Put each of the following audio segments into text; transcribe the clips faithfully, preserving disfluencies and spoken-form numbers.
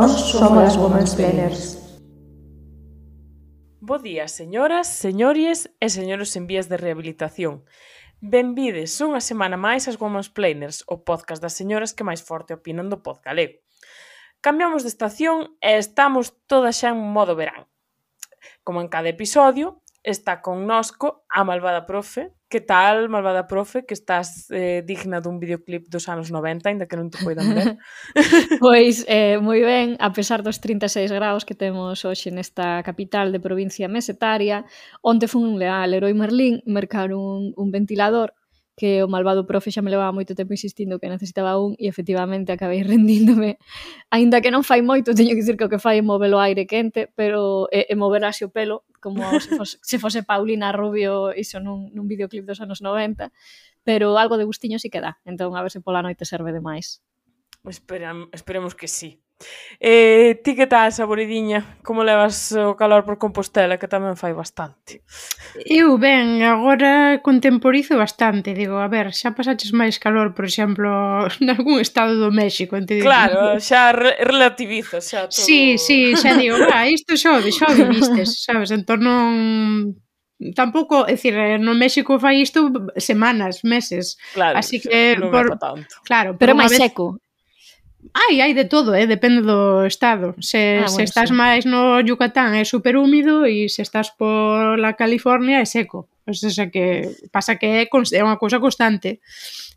Nós somos as Womansplainers. Bo día, señoras, señores e señores en vías de rehabilitación. Benvides unha semana máis ás Womansplainers, o podcast das señoras que máis forte opinan do pod galego. Cambiamos de estación e estamos todas xa en modo verán. Como en cada episodio, está connosco a malvada profe. Que tal, malvada profe, que estás eh, digna dun videoclip dos anos noventa, ainda que non te poidan ver? Pois, eh, moi ben, a pesar dos trinta e seis graus que temos hoxe nesta capital de provincia mesetaria, onte fun a Leroy Merlin mercar un, un ventilador que o malvado profe xa me levaba moito tempo insistindo que necesitaba un e efectivamente acabei rendíndome. Aínda que non fai moito, teño que dicir que o que fai é mover o aire quente, pero e, e mover así o pelo, como se fose, se fose Paulina Rubio iso nun, nun videoclip dos anos noventa, pero algo de gustiño sí que dá, entón a ver se pola noite serve de máis. Esperam, esperemos que sí. Eh, ti que tal, saboridiña? Como levas o calor por Compostela, que tamén fai bastante? Eu, ben, agora contemporizo bastante. Digo, a ver, xa pasaches máis calor, por exemplo, nalgún estado do México. Claro, xa re relativizo, xa todo... Sí, sí, xa digo, ah, isto xa o vivistes, sabes? Entón non... Tampouco, é dicir, no México fai isto semanas, meses. Claro, así que non por... é pa tanto. Claro, pero máis vez... seco. Hai, hai de todo, eh? Depende do estado. Se, ah, se bueno, estás sí. máis no Yucatán é super húmido e se estás por la California é seco. O sea que pasa que é, é unha cousa constante.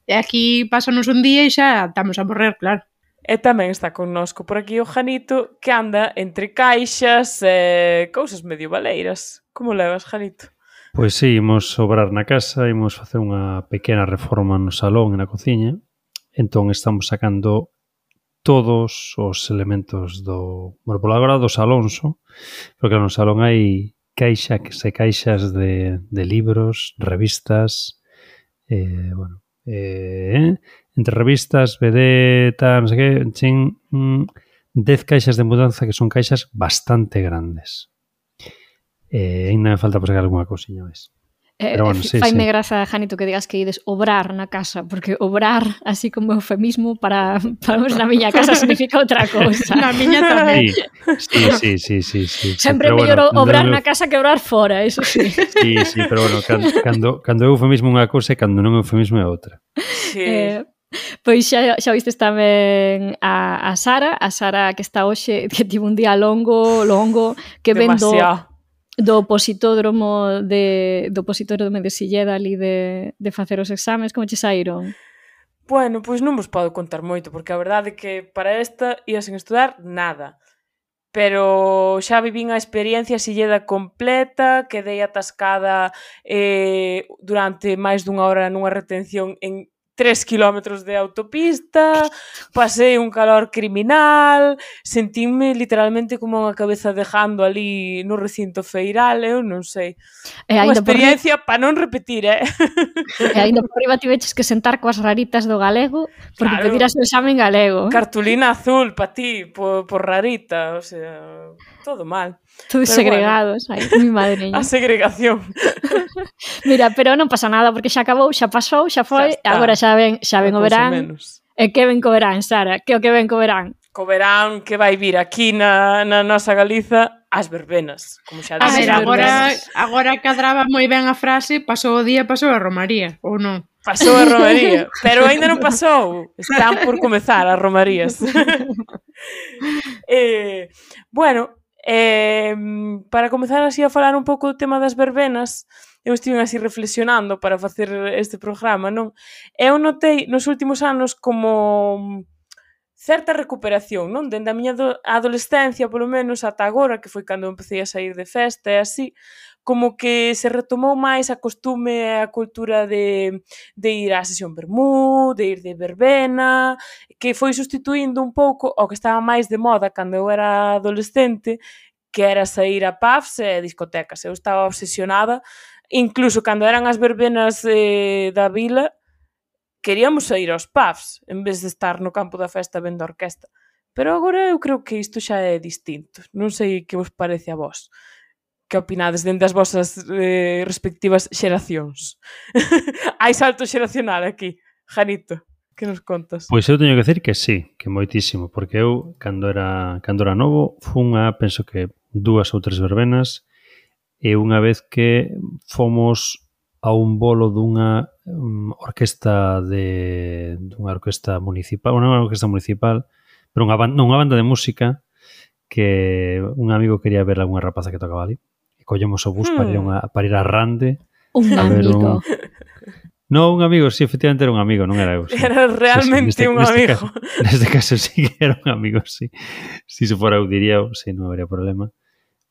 E aquí pásanos un día e xa estamos a morrer, claro. E tamén está connosco por aquí o Janito, que anda entre caixas e cousas medio baleiras. Como levas, Janito? Pois sí, imos obrar na casa, imos facer unha pequena reforma no salón e na cociña. Entón estamos sacando todos os elementos do... Bueno, por agora dos Alonso, porque no salón hai caixas e caixas de, de libros, revistas, eh, bueno, eh, entre revistas, B D, tal, non sei que, chin, mm, dez caixas de mudanza que son caixas bastante grandes. Eh, ainda me falta por sacar alguna cousiña máis. Eh, bueno, sí, faime sí. graza, Janito, que digas que ides obrar na casa, porque obrar, así como eufemismo, para, para na miña casa significa outra cousa. Na miña tamén. Sí, sí, sí, sí, sí. Sempre é sí, mellor bueno, obrar no, na casa que obrar fora, eso sí. Sí, sí, pero bueno, cando, cando, cando é eufemismo unha cousa e cando non é eufemismo é outra. Sí. Eh, pois xa, xa vistes tamén a, a Sara, a Sara que está hoxe, que tivo un día longo, longo, que vendo... do opositódromo de do opositódromo de Silleda ali de, de facer os exames, como che saíron? Bueno, pois non vos podo contar moito, porque a verdade é que para esta ia sen estudar nada. Pero xa vivín a experiencia Silleda completa, quedei atascada eh, durante máis dunha hora nunha retención en tres kilómetros de autopista, pasei un calor criminal, sentínme literalmente como unha cabeza dejando ali no recinto feiral, eu non sei. E unha experiencia para non repetir, eh? E ainda por riba tiveches que sentar coas raritas do galego, porque claro, pediras o examen galego. Cartulina azul para ti, por, por rarita, o sea, todo mal. Todos pero segregados, bueno, ai, mi madreña. A segregación. Mira, pero non pasa nada, porque xa acabou, xa pasou, xa foi, xa agora xa ven, xa ven o verán. E que ven co verán, Sara? Que o que ven co verán? Co verán que vai vir aquí na, na nosa Galiza as verbenas, como xa a ver, agora, agora cadraba moi ben a frase, pasou o día, pasou a romaría, ou non? Pasou a romaría, pero aínda non pasou. Están por comezar as romarías. eh, bueno, eh, para comezar así a falar un pouco do tema das verbenas, eu estive así reflexionando para facer este programa, non? Eu notei nos últimos anos como certa recuperación, non? Dende a miña adolescencia, polo menos, ata agora, que foi cando empecé a sair de festa e así, como que se retomou máis a costume e a cultura de, de ir á sesión vermú, de ir de verbena, que foi sustituindo un pouco o que estaba máis de moda cando eu era adolescente, que era sair a pubs e discotecas. Eu estaba obsesionada, incluso cando eran as verbenas eh, da vila, queríamos sair aos pubs, en vez de estar no campo da festa vendo a orquesta. Pero agora eu creo que isto xa é distinto. Non sei que vos parece a vos. Que opinades dende as vosas eh, respectivas xeracións? Hai salto xeracional aquí, Janito. Que nos contas? Pois eu teño que decir que sí, que moitísimo, porque eu, cando era, cando era novo, fun a, penso que dúas ou tres verbenas, e unha vez que fomos a un bolo dunha um, orquesta de dunha orquesta municipal, unha orquesta municipal, pero unha banda, non, unha banda de música que un amigo quería ver algunha rapaza que tocaba ali. E collemos o bus hmm. para, ir a, para ir a Rande. Un a ver amigo. Un... No, un amigo, sí, efectivamente era un amigo, non era eu. Sí. Era realmente sí, sí, neste, un neste amigo. Caso, neste caso sí que era un amigo, sí. Si se fora eu diría, sí, non habería problema.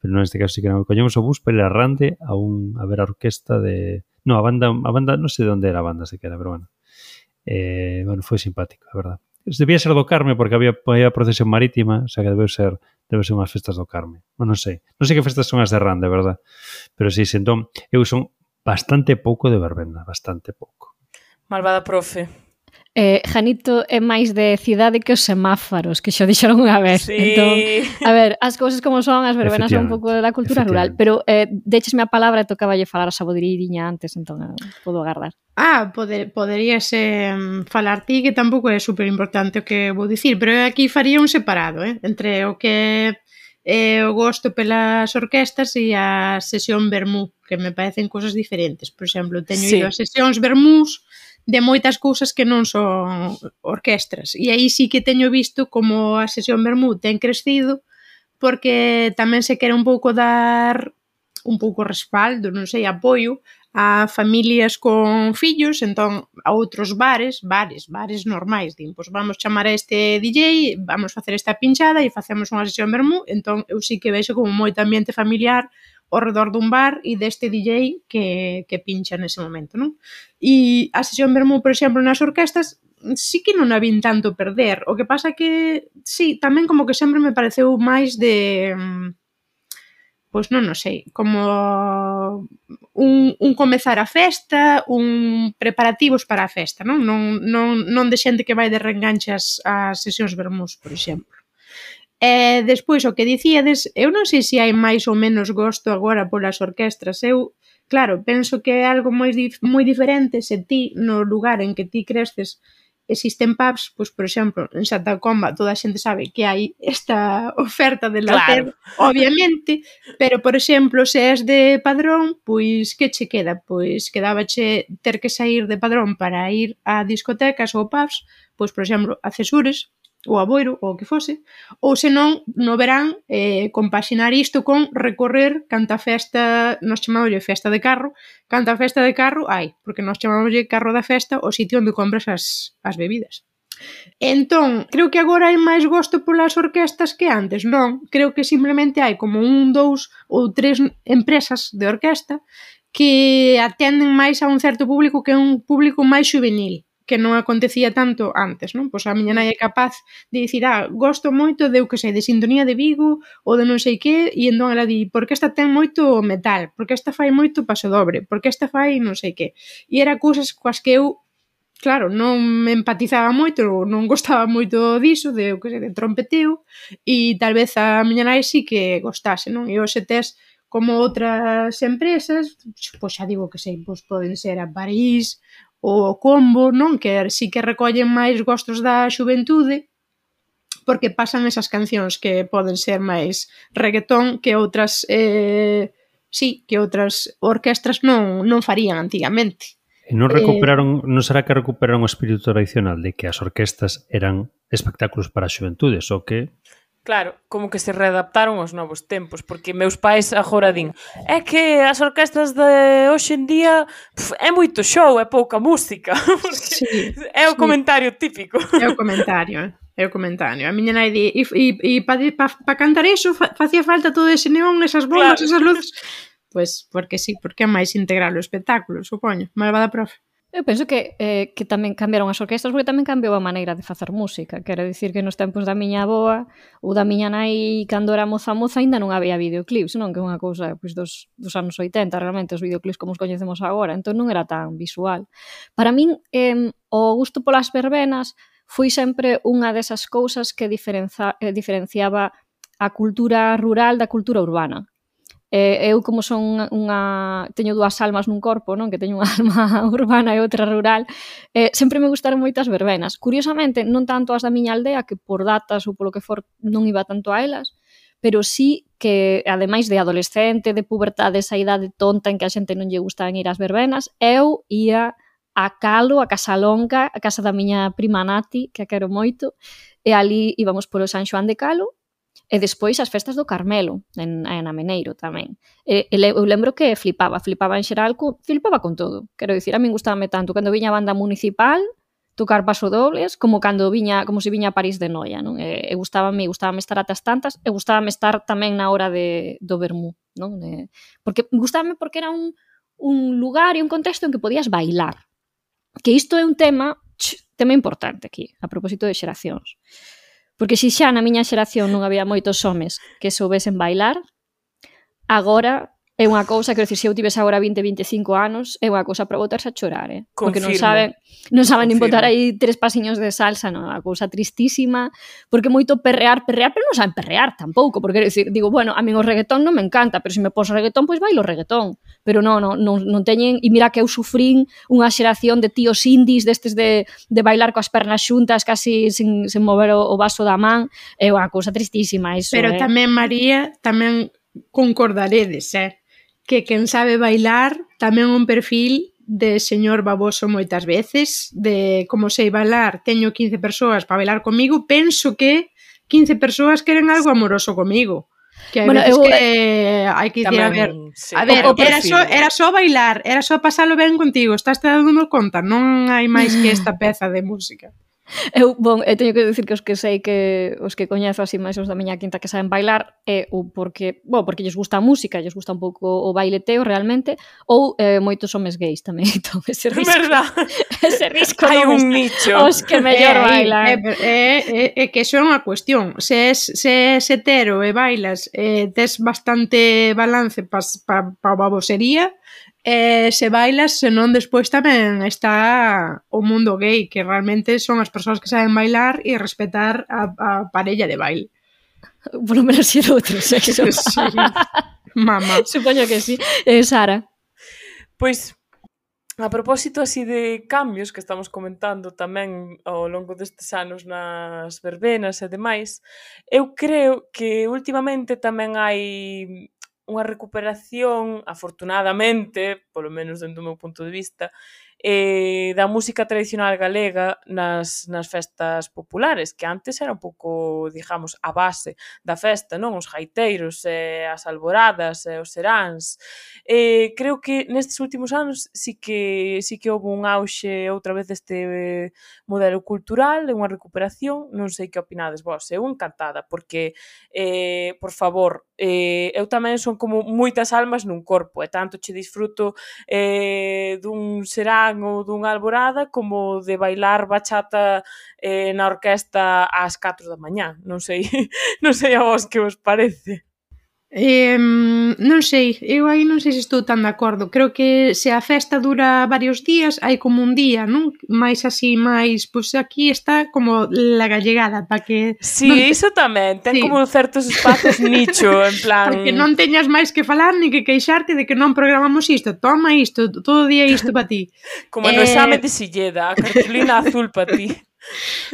Pero neste caso sí que era un amigo. Collemos o bus para ir a Rande a, un, a ver a orquesta de... No, a banda, a banda, non sei de onde era a banda sequera, pero bueno. Eh, bueno, foi simpático, a verdad. Debía ser do Carme porque había, había procesión marítima, o sea que debe ser debe ser unhas festas do Carme. Non, non sei. Non sei que festas son as de Rande, verdad? Pero sí, sí, entón, eu son bastante pouco de verbena, bastante pouco. Malvada profe. Eh, Janito é máis de cidade que os semáforos, que xo dixeron unha vez. Sí. Entón, a ver, as cousas como son, as verbenas son un pouco da cultura rural, pero eh, déchesme a palabra e tocaba lle falar a Sabodiriña antes, entón eh, podo agardar. Ah, poder, poderías eh, falar ti, que tampouco é super importante o que vou dicir, pero aquí faría un separado, eh, entre o que é o gosto pelas orquestas e a sesión vermú, que me parecen cosas diferentes. Por exemplo, teño sí. ido a sesións vermús de moitas cousas que non son orquestras. E aí sí que teño visto como a sesión vermú ten crecido, porque tamén se quere un pouco dar un pouco respaldo, non sei, apoio a familias con fillos, entón a outros bares, bares, bares normais, din, pois vamos chamar a este D J, vamos facer esta pinchada e facemos unha sesión vermú, entón eu sí que vexo como moito ambiente familiar ao redor dun bar e deste D J que, que pincha nese momento, non? E a sesión vermú, por exemplo, nas orquestas, sí que non a vin tanto perder, o que pasa que, sí, tamén como que sempre me pareceu máis de... pois non, non sei, como un, un comezar a festa, un preparativos para a festa, non? Non, non, non de xente que vai de reenganchas ás sesións vermús, por exemplo. E despois, o que dicíades, eu non sei se hai máis ou menos gosto agora polas orquestras. Eu, claro, penso que é algo moi, moi diferente se ti, no lugar en que ti cresces, existen pubs, pois, por exemplo, en Santa Comba toda a xente sabe que hai esta oferta de lacer, claro. Obviamente, pero, por exemplo, se és de Padrón, pois, que che queda? Pois, quedábache ter que sair de Padrón para ir a discotecas ou pubs, pois, por exemplo, a Cesures, ou a Boiro, ou o que fose, ou senón, no verán, eh, compaxinar isto con recorrer canta festa, nos chamámoslle festa de carro, canta festa de carro hai, porque nos chamámoslle carro da festa o sitio onde compras as, as bebidas. Entón, creo que agora hai máis gosto polas orquestas que antes, non? Creo que simplemente hai como un, dous ou tres empresas de orquesta que atenden máis a un certo público que é un público máis juvenil, que non acontecía tanto antes, non? Pois a miña nai é capaz de dicir, ah, gosto moito de, eu que sei, de Sintonía de Vigo ou de non sei que, e entón ela di, porque esta ten moito metal, porque esta fai moito pasodobre, porque esta fai non sei que. E era cousas coas que eu, claro, non me empatizaba moito, non gostaba moito diso, de, eu que sei, de trompeteo, e tal vez a miña nai sí que gostase, non? E hoxe tes como outras empresas, pois xa digo que sei, pois poden ser a París, o Combo, non? Que sí que recollen máis gostos da xuventude, porque pasan esas cancións que poden ser máis reggaetón que outras, eh, sí, que outras orquestras non, non farían antigamente. E non recuperaron, eh, non será que recuperaron o espírito tradicional de que as orquestas eran espectáculos para a xuventude, só que... Claro, como que se readaptaron aos novos tempos, porque meus pais agora din, é que as orquestas de hoxe en día pf, é moito show, é pouca música, sí, é o sí. Comentario típico. É o comentario, é o comentario. A miña nai di, e, e, e para pa, pa cantar iso fa, facía falta todo ese neón, esas bombas, claro. Esas luces. Pois, pues, porque sí, porque é máis integral o espectáculo, supoño. Malvada profe. Eu penso que, eh, que tamén cambiaron as orquestras porque tamén cambiou a maneira de facer música. Quero dicir que nos tempos da miña avoa ou da miña nai, cando era moza moza, ainda non había videoclips, non? Que é unha cousa pois, dos, dos anos oitenta, realmente, os videoclips como os coñecemos agora. Entón non era tan visual. Para min, eh, o gusto polas verbenas foi sempre unha desas cousas que diferenza, eh, diferenciaba a cultura rural da cultura urbana. Eh, eu, como son unha, unha... teño dúas almas nun corpo, non? Que teño unha alma urbana e outra rural, eh, sempre me gustaron moitas verbenas. Curiosamente, non tanto as da miña aldea, que por datas ou polo que for non iba tanto a elas, pero sí que, ademais de adolescente, de pubertade, esa idade tonta en que a xente non lle gustaban ir ás verbenas, eu ia a Calo, a Casalonga, a casa da miña prima Nati, que a quero moito, e ali íbamos polo San Xoán de Calo, e despois as festas do Carmelo, en, en Ameneiro tamén. E, e eu lembro que flipaba, flipaba en xeral, co, flipaba con todo. Quero dicir, a min gustábame tanto cando viña a banda municipal, tocar pasodobles, como cando viña, como se viña a París de Noia, non? E, e gustábame, gustábame estar atas tantas, e gustábame estar tamén na hora de, do vermú, non? E, porque gustábame porque era un, un lugar e un contexto en que podías bailar. Que isto é un tema, ch, tema importante aquí, a propósito de xeracións. Porque se xa na miña xeración non había moitos homes que soubesen bailar, agora é unha cousa, quero dicir, se eu tivese agora vinte, vinte e cinco anos, é unha cousa para botarse a chorar, eh? Porque non saben, non saben nin botar aí tres pasiños de salsa, non, é unha cousa tristísima, porque moito perrear, perrear, pero non saben perrear tampouco, porque quero dicir, digo, bueno, a min o reggaetón non me encanta, pero se me pos reggaetón, pois bailo reggaetón, pero non, non, non, non teñen, e mira que eu sufrín unha xeración de tíos indies, destes de, de bailar coas pernas xuntas, casi sin, sin mover o, o vaso da man, é unha cousa tristísima, iso, pero eh? tamén, María, tamén concordaredes, eh? Que quen sabe bailar tamén un perfil de señor baboso moitas veces, de como sei bailar, teño quince persoas para bailar comigo, penso que quince persoas queren algo amoroso comigo. Que hai bueno, veces eu, que hai que dicir, a ver, sí, a ver, era só, era só bailar, era só pasalo ben contigo, estás te dando conta, non hai máis que esta peza de música. Eu, bon, eu teño que dicir que os que sei que os que coñezo así máis os da miña quinta que saben bailar é ou porque, bo, porque lles gusta a música, lles gusta un pouco o baileteo realmente, ou eh, moitos homes gays tamén, entón ese risco. Verdad? Ese risco hai un me... nicho. Os que mellor eh, bailan. É eh, eh, eh, eh, que iso é unha cuestión. Se es, se es hetero e bailas, eh, tes bastante balance pa pa, pa babosería, Eh, se bailas, senón despois tamén está o mundo gay, que realmente son as persoas que saben bailar e respetar a, a parella de baile. Por lo menos si é de outro sexo. Sí. Mamá. Supoño que sí. Eh, Sara? Pois, a propósito así de cambios que estamos comentando tamén ao longo destes anos nas verbenas e demais, eu creo que últimamente tamén hai unha recuperación, afortunadamente, polo menos dentro do meu punto de vista, eh, da música tradicional galega nas, nas festas populares, que antes era un pouco, digamos, a base da festa, non? Os gaiteiros, eh, as alboradas, eh, os seráns. Eh, creo que nestes últimos anos sí que sí que houve un auxe outra vez deste eh, modelo cultural, unha recuperación, non sei que opinades vos, eu encantada, porque, eh, por favor, eh, eu tamén son como moitas almas nun corpo, e tanto che disfruto eh, dun serán ou dunha alborada como de bailar bachata eh, na orquesta ás catro da mañá. Non sei, non sei a vos que vos parece. Eh, non sei, eu aí non sei se estou tan de acordo. Creo que se a festa dura varios días, hai como un día, non? Mais así, máis, pois aquí está como la gallegada, para que... Sí, te... iso tamén, ten sí. como certos espazos nicho, en plan... Porque non teñas máis que falar, ni que queixarte de que non programamos isto, toma isto, todo o día isto para ti. Como no eh... exame de Silleda, a cartulina azul para ti.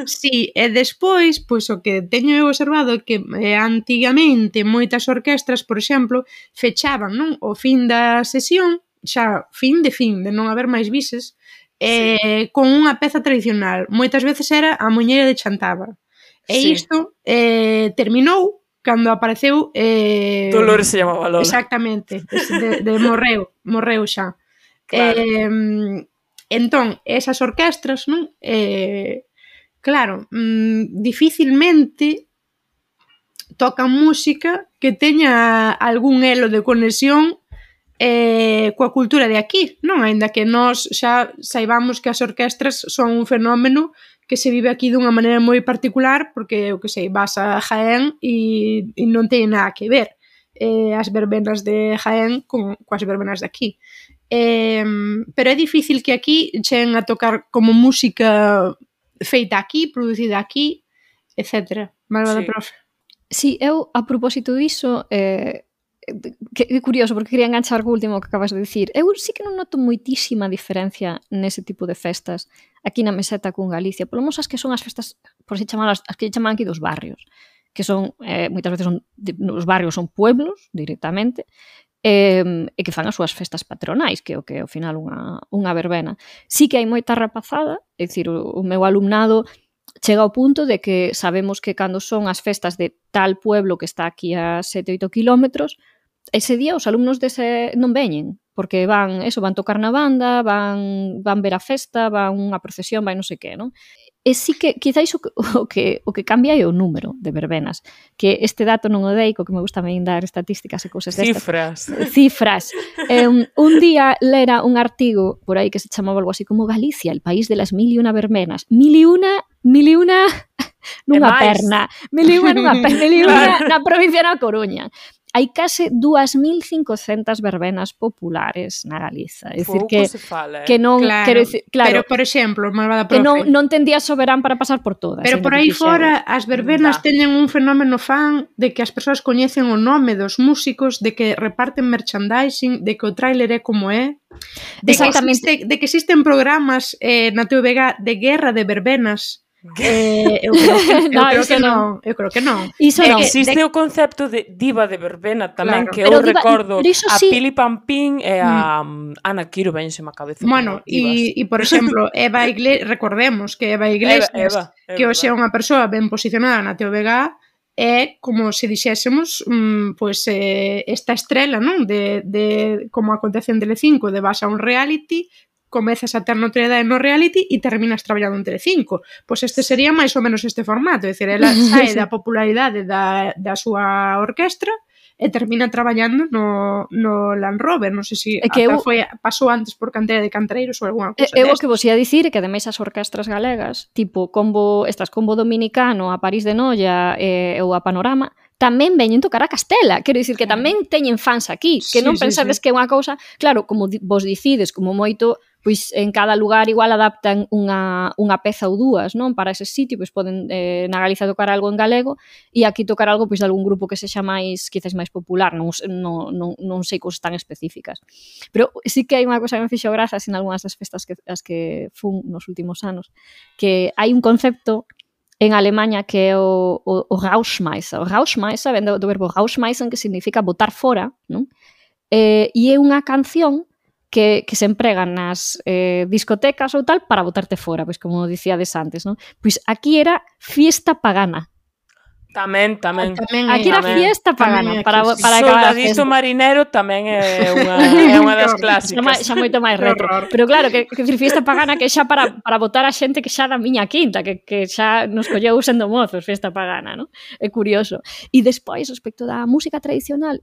Sí, e despois, pois o que teño eu observado é que eh, antigamente moitas orquestras, por exemplo, fechaban, non? O fin da sesión, xa fin de fin, de non haber máis bises, eh, sí. Con unha peza tradicional. Moitas veces era a muñeira de Chantaba. E sí. Isto eh, terminou cando apareceu... Eh, Dolores se chamaba Lola. Exactamente, de, de morreu, morreu xa. Claro. Eh, entón, esas orquestras, non? Eh, Claro, mmm, dificilmente tocan música que teña algún elo de conexión eh, coa cultura de aquí, non? Aínda que nós xa saibamos que as orquestras son un fenómeno que se vive aquí dunha maneira moi particular, porque, eu que sei, vas a Jaén e, e non ten nada que ver eh, as verbenas de Jaén con, coas verbenas de aquí. Eh, pero é difícil que aquí cheguen a tocar como música... feita aquí, producida aquí, etcétera. Malvada sí. profe. Sí, eu, a propósito diso, eh, que, que curioso, porque quería enganchar co último que acabas de dicir. Eu sí que non noto moitísima diferencia nese tipo de festas aquí na meseta con Galicia. Polo menos as que son as festas, por si chamalas, as que chaman aquí dos barrios, que son, eh, moitas veces son, os barrios son pueblos, directamente, e, e que fan as súas festas patronais, que é o que é ao final unha, unha verbena. Sí que hai moita rapazada, é dicir, o, o meu alumnado chega ao punto de que sabemos que cando son as festas de tal pueblo que está aquí a sete oito kilómetros, ese día os alumnos dese non veñen, porque van, eso, van tocar na banda, van, van ver a festa, van unha procesión, vai non sei que, non? E sí que, quizáis, o que, o que, o que cambia é o número de verbenas, que este dato non o dei, co que me gusta tamén dar estatísticas e cousas destas. Cifras. Cifras. Eh, un día lera un artigo por aí que se chamaba algo así como Galicia, el país de las mil y una verbenas. Mil y una, mil y una nunha perna. Mil y una nunha perna, mil y una na provincia da Coruña. Hai case dúas mil cincocentas verbenas populares na Galiza. É dicir que, fala, eh? que non... Claro, quero dicir, claro, pero, por exemplo, malvada que profe, non, non tendía soberán para pasar por todas. pero por aí fora as verbenas Da. teñen un fenómeno fan de que as persoas coñecen o nome dos músicos, de que reparten merchandising, de que o tráiler é como é, de que, Exactamente. existe, de que existen programas eh, na T V G de guerra de verbenas. Eh, eu creo que, eu No, creo iso que non. non, eu creo que non. Iso De non. que- Existe de- o concepto de diva de verbena tamén, Claro. que Pero eu diva- recordo pero iso a sí- Pili Pampín e a mm. Ana Quiro, vense má cabeza Bueno, como divas. e, e por exemplo, Eva Iglesias, recordemos que Eva Iglesias, Eva, Eva, é que hoxe é verdade. unha persoa ben posicionada na T V G, é como se dixésemos, mm, pois eh, esta estrela, non? De, de como acontece en Telecinco, de vas a un reality, comezas a ter notoriedade no reality e terminas traballando en Telecinco. Pois este sería máis ou menos este formato, é dicir, ela sae da popularidade da, da súa orquestra e termina traballando no, no Land Rover. Non sei se É que eu- ata foi, pasou antes por cantera de cantareiros ou alguna cousa Eu o desta. que vos ia dicir é que ademais as orquestras galegas, tipo combo, estas combo dominicano, a París de Noia e, ou a Panorama, tamén veñen tocar a Castela. Quero dicir que tamén teñen fans aquí, que Sí, non sí, pensades sí. que é unha cousa... Claro, como di- vos dicides, como moito, pois en cada lugar igual adaptan unha, unha peza ou dúas, non? Para ese sitio, pois poden eh, na Galiza tocar algo en galego e aquí tocar algo pois de algún grupo que sexa máis, quizás máis popular, non, non, non, non sei cousas tan específicas. Pero sí que hai unha cosa que me fixo grazas en algunhas das festas que, as que fun nos últimos anos, que hai un concepto en Alemanha que é o, o, o Rausschmeißer. O Rausschmeißer vende do verbo Rausschmeißen, que significa botar fora, non? Eh, e é unha canción que, que se emprega nas eh, discotecas ou tal para botarte fora, pois como dicíades antes, non? Pois aquí era fiesta pagana. Tamén, tamén. Tamén Aquí é- era tamén- fiesta tamén pagana é para, aquí, sí. para acabar a Soldadito festa. marinero tamén é unha, é unha das Xa, máis, clásicas. xa moito máis Que retro. horror. Pero claro, que, que decir, fiesta pagana que xa para, para botar a xente que xa da miña quinta, que, que xa nos colleu sendo mozos, fiesta pagana, non? É curioso. E despois, respecto da música tradicional,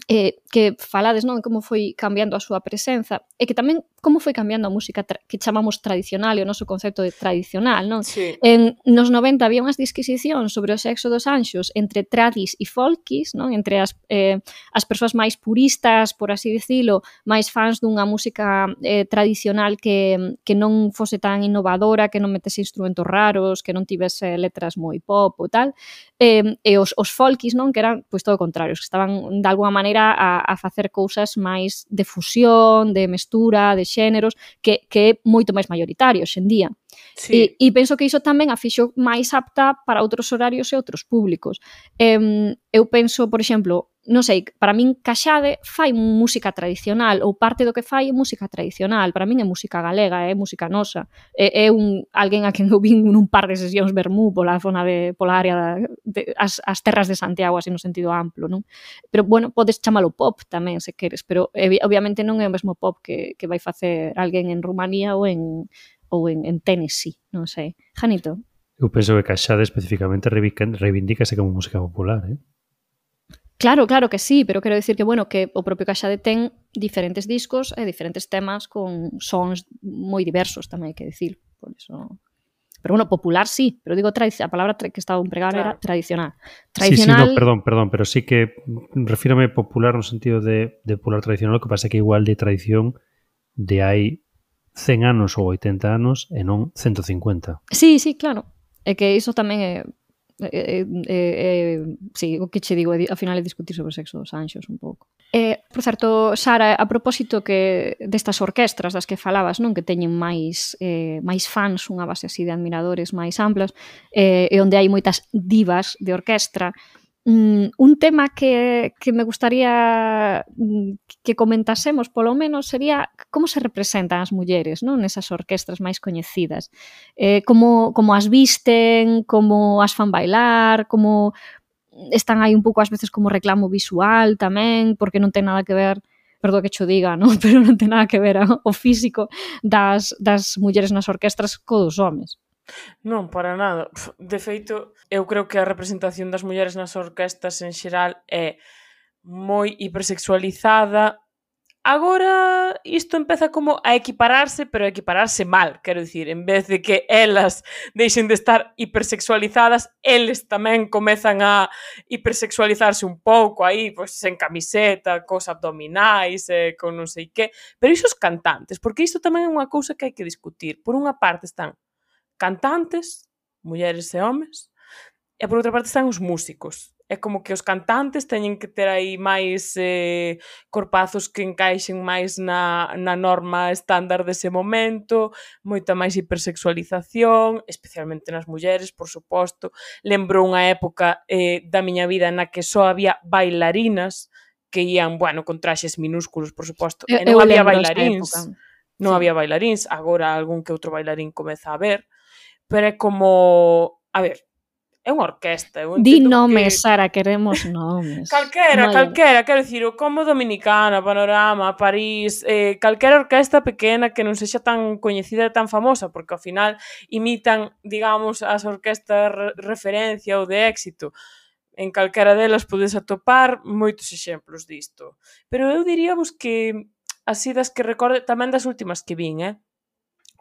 eh, que falades, non, como foi cambiando a súa presenza, e que tamén como foi cambiando a música tra- que chamamos tradicional e o noso concepto de tradicional, non? Sí. En nos noventa había unhas disquisicións sobre o sexo dos anxos entre tradis e folkis, non? Entre as, eh, as persoas máis puristas, por así dicilo, máis fans dunha música eh, tradicional que, que non fose tan innovadora, que non metese instrumentos raros, que non tivese letras moi pop ou tal, eh, e os, os folkis, non? Que eran, pois, todo o contrario, que estaban de alguma maneira a, a facer cousas máis de fusión, de mestura, de xéneros, que, que é moito máis mayoritario hoxe en día. Sí. E, e penso que iso tamén a fixo máis apta para outros horarios e outros públicos. Eh, eu penso, por exemplo, non sei, para min Caxade fai música tradicional, ou parte do que fai é música tradicional. Para min é música galega, é música nosa. É, é un, alguén a quen eu vin nun par de sesións vermú pola zona de, pola área da, de, as, as terras de Santiago, así no sentido amplo, non? Pero, bueno, podes chamalo pop tamén, se queres, pero obviamente non é o mesmo pop que, que vai facer alguén en Rumanía ou en ou en, en Tennessee, non sei. Janito? Eu penso que Caxade especificamente reivindícase como música popular, eh? Claro, claro que sí, pero quero dicir que, bueno, que o propio Caxade ten diferentes discos e diferentes temas con sons moi diversos, tamén hai que dicir, por eso... Pero, bueno, popular sí, pero digo, a palabra que estaba a empregar Claro. era tradicional. Sí, sí, Tradicional... no, perdón, perdón, pero sí que refírame popular no sentido de, de popular tradicional, o que pasa é que igual de tradición de hai cen anos ou oitenta anos e non ciento cincuenta. Sí, sí, claro. É que iso tamén é... eh, eh, eh, sí, o que che digo, ao final é discutir sobre o sexo dos anxos un pouco. Eh, por certo, Sara, a propósito que destas orquestras das que falabas, non, que teñen máis eh, máis fans, unha base así de admiradores máis amplas, eh, e onde hai moitas divas de orquestra, mm, un tema que, que me gustaría que comentásemos polo menos sería como se representan as mulleres, non, nesas orquestras máis coñecidas, eh, como, como as visten, como as fan bailar, como están aí un pouco ás veces como reclamo visual tamén, porque non ten nada que ver, perdón que cho diga, non? Pero non ten nada que ver o físico das, das mulleres nas orquestras co dos homes. Non, para nada. De feito, eu creo que a representación das mulleres nas orquestas en xeral é moi hipersexualizada. Agora isto empeza como a equipararse, pero a equipararse mal, quero dicir, en vez de que elas deixen de estar hipersexualizadas, eles tamén comezan a hipersexualizarse un pouco aí, pois en camiseta, cos abdominais, eh, con non sei que, pero iso os cantantes, porque isto tamén é unha cousa que hai que discutir. Por unha parte están cantantes, mulleres e homes, e por outra parte están os músicos. É como que os cantantes teñen que ter aí máis eh, corpazos que encaixen máis na, na norma estándar dese momento, moita máis hipersexualización, especialmente nas mulleres, por suposto. Lembro unha época eh, da miña vida na que só había bailarinas que ían, bueno, con traxes minúsculos, por suposto, e non había bailaríns. Non sí. había bailaríns, agora algún que outro bailarín comeza a ver, pero é como, a ver, é unha orquesta. Di nomes, que... Sara, queremos nomes. Calquera, vale. calquera, quero dicir, o como Dominicana, Panorama, París, eh, calquera orquesta pequena que non sexa tan coñecida e tan famosa, porque ao final imitan, digamos, as orquestas re referencia ou de éxito. En calquera delas podes atopar moitos exemplos disto. Pero eu diríamos que, así das que recorde, tamén das últimas que vin, eh?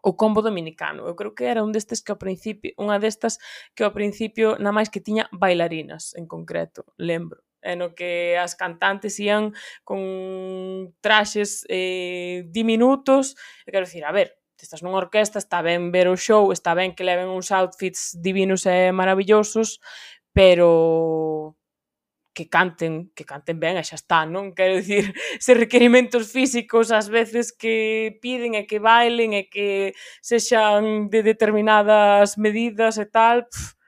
O combo dominicano. Eu creo que era un destes que ao principio, unha destas que ao principio na máis que tiña bailarinas en concreto, lembro. E no que as cantantes ían con traxes eh, diminutos. E quero dicir, a ver, estás nunha orquesta, está ben ver o show, está ben que leven uns outfits divinos e maravillosos, pero que canten, que canten ben e xa está, non? Quero dicir, se requerimentos físicos ás veces que piden e que bailen e que sexan de determinadas medidas e tal, pff,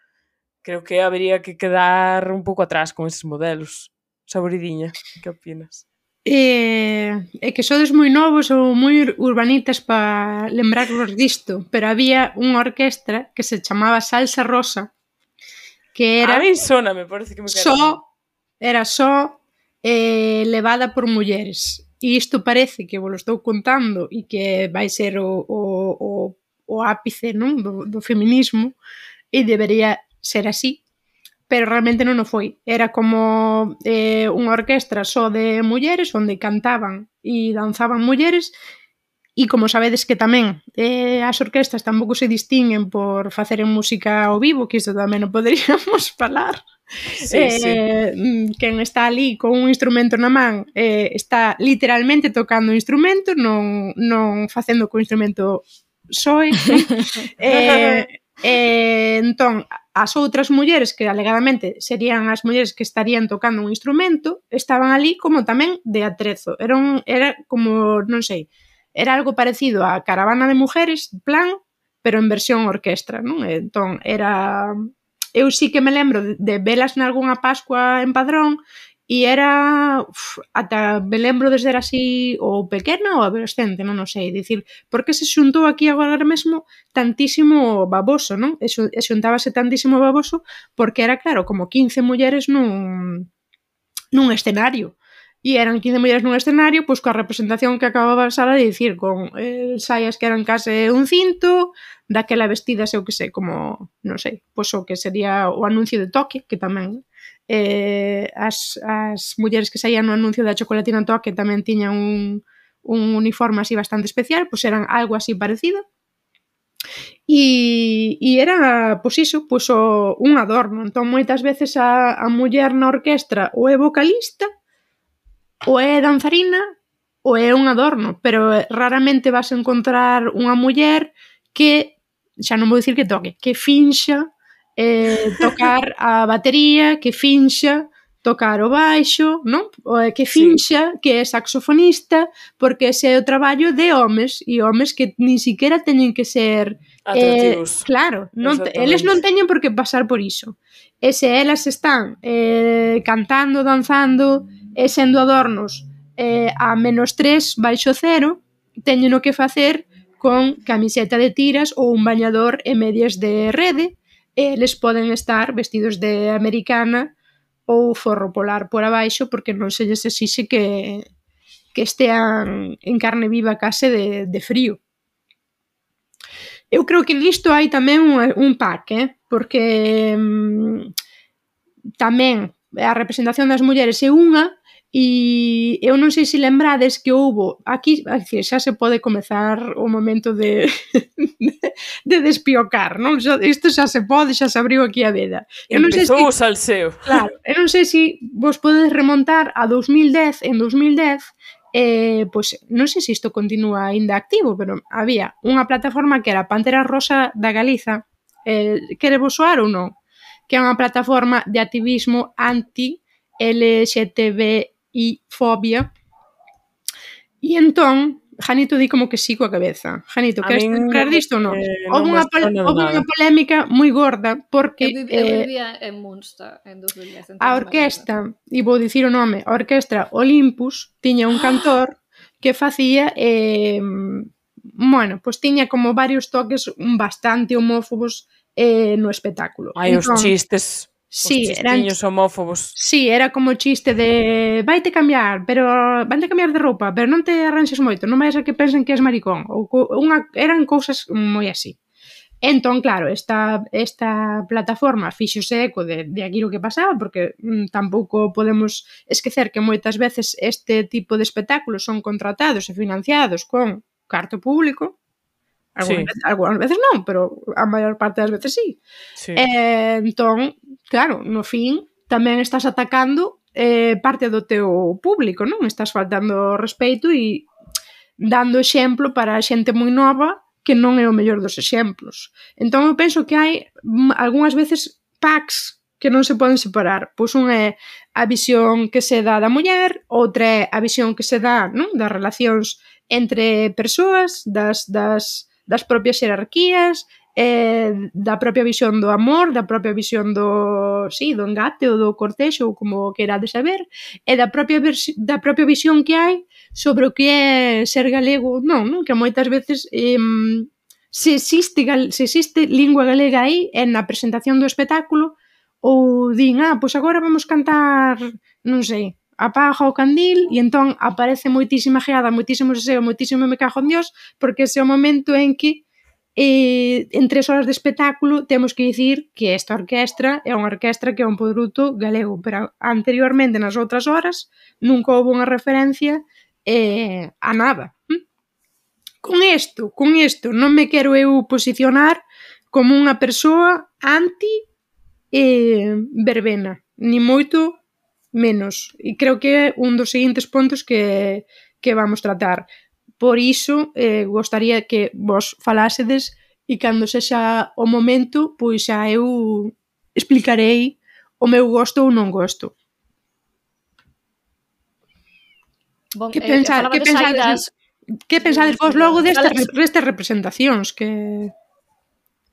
creo que habería que quedar un pouco atrás con eses modelos. Saboridiña, que opinas? Eh, é que sodes moi novos ou moi urbanitas para lembrarvos disto, pero había unha orquestra que se chamaba Salsa Rosa, que era... A mí sona, me parece que me queda... Só era só eh, levada por mulleres. E isto parece que vos lo estou contando e que vai ser o, o, o, o ápice, non? Do, do feminismo, e debería ser así, pero realmente non o foi. Era como eh, unha orquestra só de mulleres onde cantaban e danzaban mulleres. E como sabedes que tamén eh, as orquestas tampouco se distinguen por faceren música ao vivo, que isto tamén non poderíamos falar. Sí, eh, sí. Quen está ali con un instrumento na man eh, está literalmente tocando o instrumento, non, non facendo co instrumento soe. eh, eh, entón, as outras mulleres que alegadamente serían as mulleres que estarían tocando un instrumento, estaban ali como tamén de atrezo. Era, un, era como, non sei, era algo parecido a Caravana de Mujeres, plan, pero en versión orquestra, non? Entón, era... Eu sí que me lembro de, de velas nalgúnha Pascua en Padrón e era... Uf, ata me lembro de ser así ou pequena ou adolescente, non o sei. Dicir, por que se xuntou aquí agora mesmo tantísimo baboso, non? E xuntábase tantísimo baboso porque era, claro, como quince mulleres nun, nun escenario. E eran quince mulleres nun escenario, pois coa representación que acababa a sala de dicir, con eh, saias que eran case un cinto, daquela vestidas, eu que sei, como, non sei, pois o que sería o anuncio de Toque, que tamén eh, as, as mulleres que saían no anuncio da chocolatina Toque tamén tiñan un, un uniforme así bastante especial, pois eran algo así parecido. E, e era, pois iso, pois o, un adorno. Entón, moitas veces a, a muller na orquestra ou é vocalista, ou é danzarina, ou é un adorno, pero raramente vas a encontrar unha muller que, xa non vou dicir que toque, que finxa eh, tocar a batería, que finxa tocar o baixo, non? O que finxa sí. que é saxofonista, porque ese é o traballo de homes, e homes que nin siquiera teñen que ser atractivos. Eh, claro, non te, eles non teñen por que pasar por iso. E se elas están eh, cantando, danzando e sendo adornos eh, a menos tres baixo cero, teñen o que facer con camiseta de tiras ou un bañador e medias de rede, e eles poden estar vestidos de americana ou forro polar por abaixo, porque non se lles exixe que, que estean en carne viva case de, de frío. Eu creo que nisto hai tamén un, un pack, eh? Porque mm, tamén a representación das mulleres é unha, e eu non sei se lembrades que houbo aquí, aquí xa se pode comezar o momento de de despiocar, non? Isto xa se pode, xa se abriu aquí a veda. Eu non Empezou sei se, o salseo. Claro, eu non sei se vos podedes remontar a dos mil dez, en dos mil dez, eh, pois non sei se isto continúa ainda activo, pero había unha plataforma que era Pantera Rosa da Galiza, eh, quere vos soar ou non? Que é unha plataforma de activismo anti-L G T B I fobia. E entón, Janito di como que sí coa cabeza. Janito, queres lembrar disto ou non? Eh, houve non unha, houve unha polémica moi gorda porque eu, vivi, eh, eu vivía en Munster en dos mil dez. A orquestra, e vou dicir o nome, a orquestra Olympus tiña un cantor que facía eh, bueno, pois tiña como varios toques bastante homófobos eh, no espectáculo. Ai, entón, os chistes, sí, os chistiños eran, homófobos. Sí, era como chiste de vaite cambiar, pero vaite cambiar de roupa, pero non te arranxes moito, non vais a que pensen que és maricón. Ou unha, eran cousas moi así. Entón, claro, esta, esta plataforma fíxose eco de, de aquilo que pasaba, porque mm, tampouco podemos esquecer que moitas veces este tipo de espectáculos son contratados e financiados con carto público. Algunas, sí. veces, algunas veces non, pero a maior parte das veces sí. sí. Eh, entón, claro, no fin tamén estás atacando eh, parte do teu público, non? Estás faltando respeito e dando exemplo para a xente moi nova que non é o mellor dos exemplos. Entón eu penso que hai algunhas veces packs que non se poden separar. Pois un é a visión que se dá da muller, outra é a visión que se dá, non? Das relacións entre persoas, das, das das propias xerarquías, eh, da propia visión do amor, da propia visión do, sí, do engate ou do cortexo, ou como querades saber, e da propia, da propia visión que hai sobre o que é ser galego, non, non? Que moitas veces eh, se, existe, se existe lingua galega aí, é na presentación do espectáculo, ou din, ah, pois agora vamos cantar, non sei, apaga o candil, e entón aparece moitísima geada, moitísimo seseo, moitísimo me cago en Dios, porque ese é o momento en que eh, en tres horas de espectáculo temos que dicir que esta orquestra é unha orquestra que é un produto galego, pero anteriormente nas outras horas nunca houve unha referencia eh, a nada. ¿Mm? Con isto, con isto non me quero eu posicionar como unha persoa anti eh, verbena, ni moito menos, e creo que é un dos seguintes puntos que, que vamos tratar. Por iso, eh, gostaría que vos falásedes e cando sexa o momento, pois xa eu explicarei o meu gosto ou non gosto. Bon, que, eh, pensa, que, pensades, das... que pensades vos logo destas, destas representacións que...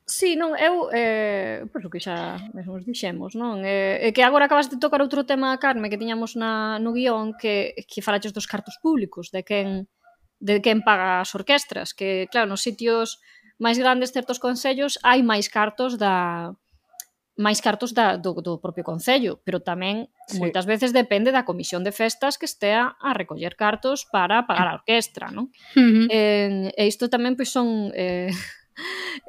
Sí, non, eu, eh, pois o que xa mesmo os dixemos, non? Eh, que agora acabas de tocar outro tema, Carme, que tiñamos na, no guión, que, que falaches dos cartos públicos, de quen, de quen paga as orquestras, que, claro, nos sitios máis grandes, certos concellos, hai máis cartos da máis cartos da, do, do propio concello, pero tamén sí. moitas veces depende da comisión de festas que estea a recoller cartos para pagar a orquestra, non? Uh-huh. Eh, e isto tamén pois son... Eh,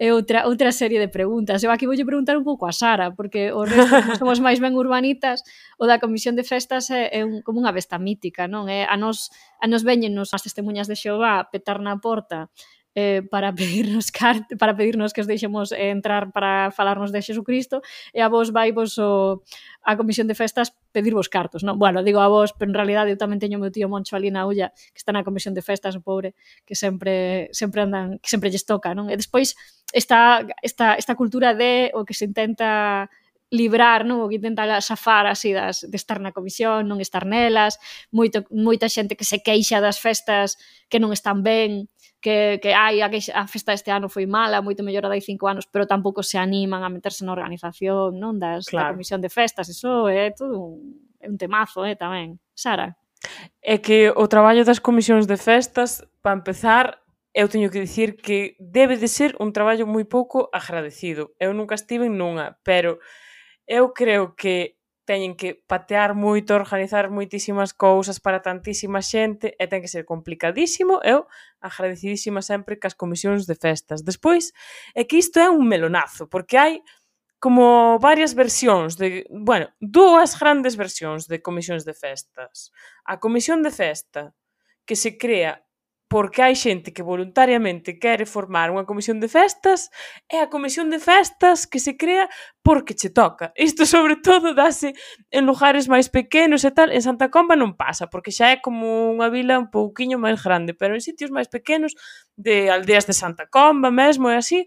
é outra, outra serie de preguntas. Eu aquí voulle preguntar un pouco a Sara, porque o resto, como somos máis ben urbanitas, o da comisión de festas é, é un, como unha besta mítica, non? É, a nos, a nos veñenos as testemunhas de Xehová petar na porta eh, para pedirnos cart para pedirnos que os deixemos eh, entrar para falarnos de Xesucristo, e a vos vai vos o, a Comisión de Festas pedirvos cartos, non? Bueno, digo a vos, pero en realidade eu tamén teño o meu tío Moncho ali na Ulla, que está na Comisión de Festas, o pobre, que sempre sempre andan, que sempre lles toca, non? E despois esta, esta, esta cultura de o que se intenta librar, non? O que intenta safar así das, de estar na comisión, non estar nelas, moito, moita xente que se queixa das festas que non están ben, que, que ai, a, a festa deste ano foi mala, moito mellor a dai cinco anos, pero tampouco se animan a meterse na organización, non? Das, claro. Da comisión de festas, eso é todo un, é un temazo, eh, tamén. Sara? É que o traballo das comisións de festas, para empezar, eu teño que dicir que debe de ser un traballo moi pouco agradecido. Eu nunca estive en nunha, pero eu creo que teñen que patear moito, organizar moitísimas cousas para tantísima xente e ten que ser complicadísimo. Eu agradecidísima sempre cas comisións de festas. Despois, é que isto é un melonazo, porque hai como varias versións de, bueno, dúas grandes versións de comisións de festas. A comisión de festa que se crea porque hai xente que voluntariamente quere formar unha comisión de festas, e a comisión de festas que se crea porque che toca. Isto sobre todo dase en lugares máis pequenos e tal. En Santa Comba non pasa, porque xa é como unha vila un pouquiño máis grande, pero en sitios máis pequenos, de aldeas de Santa Comba mesmo e así,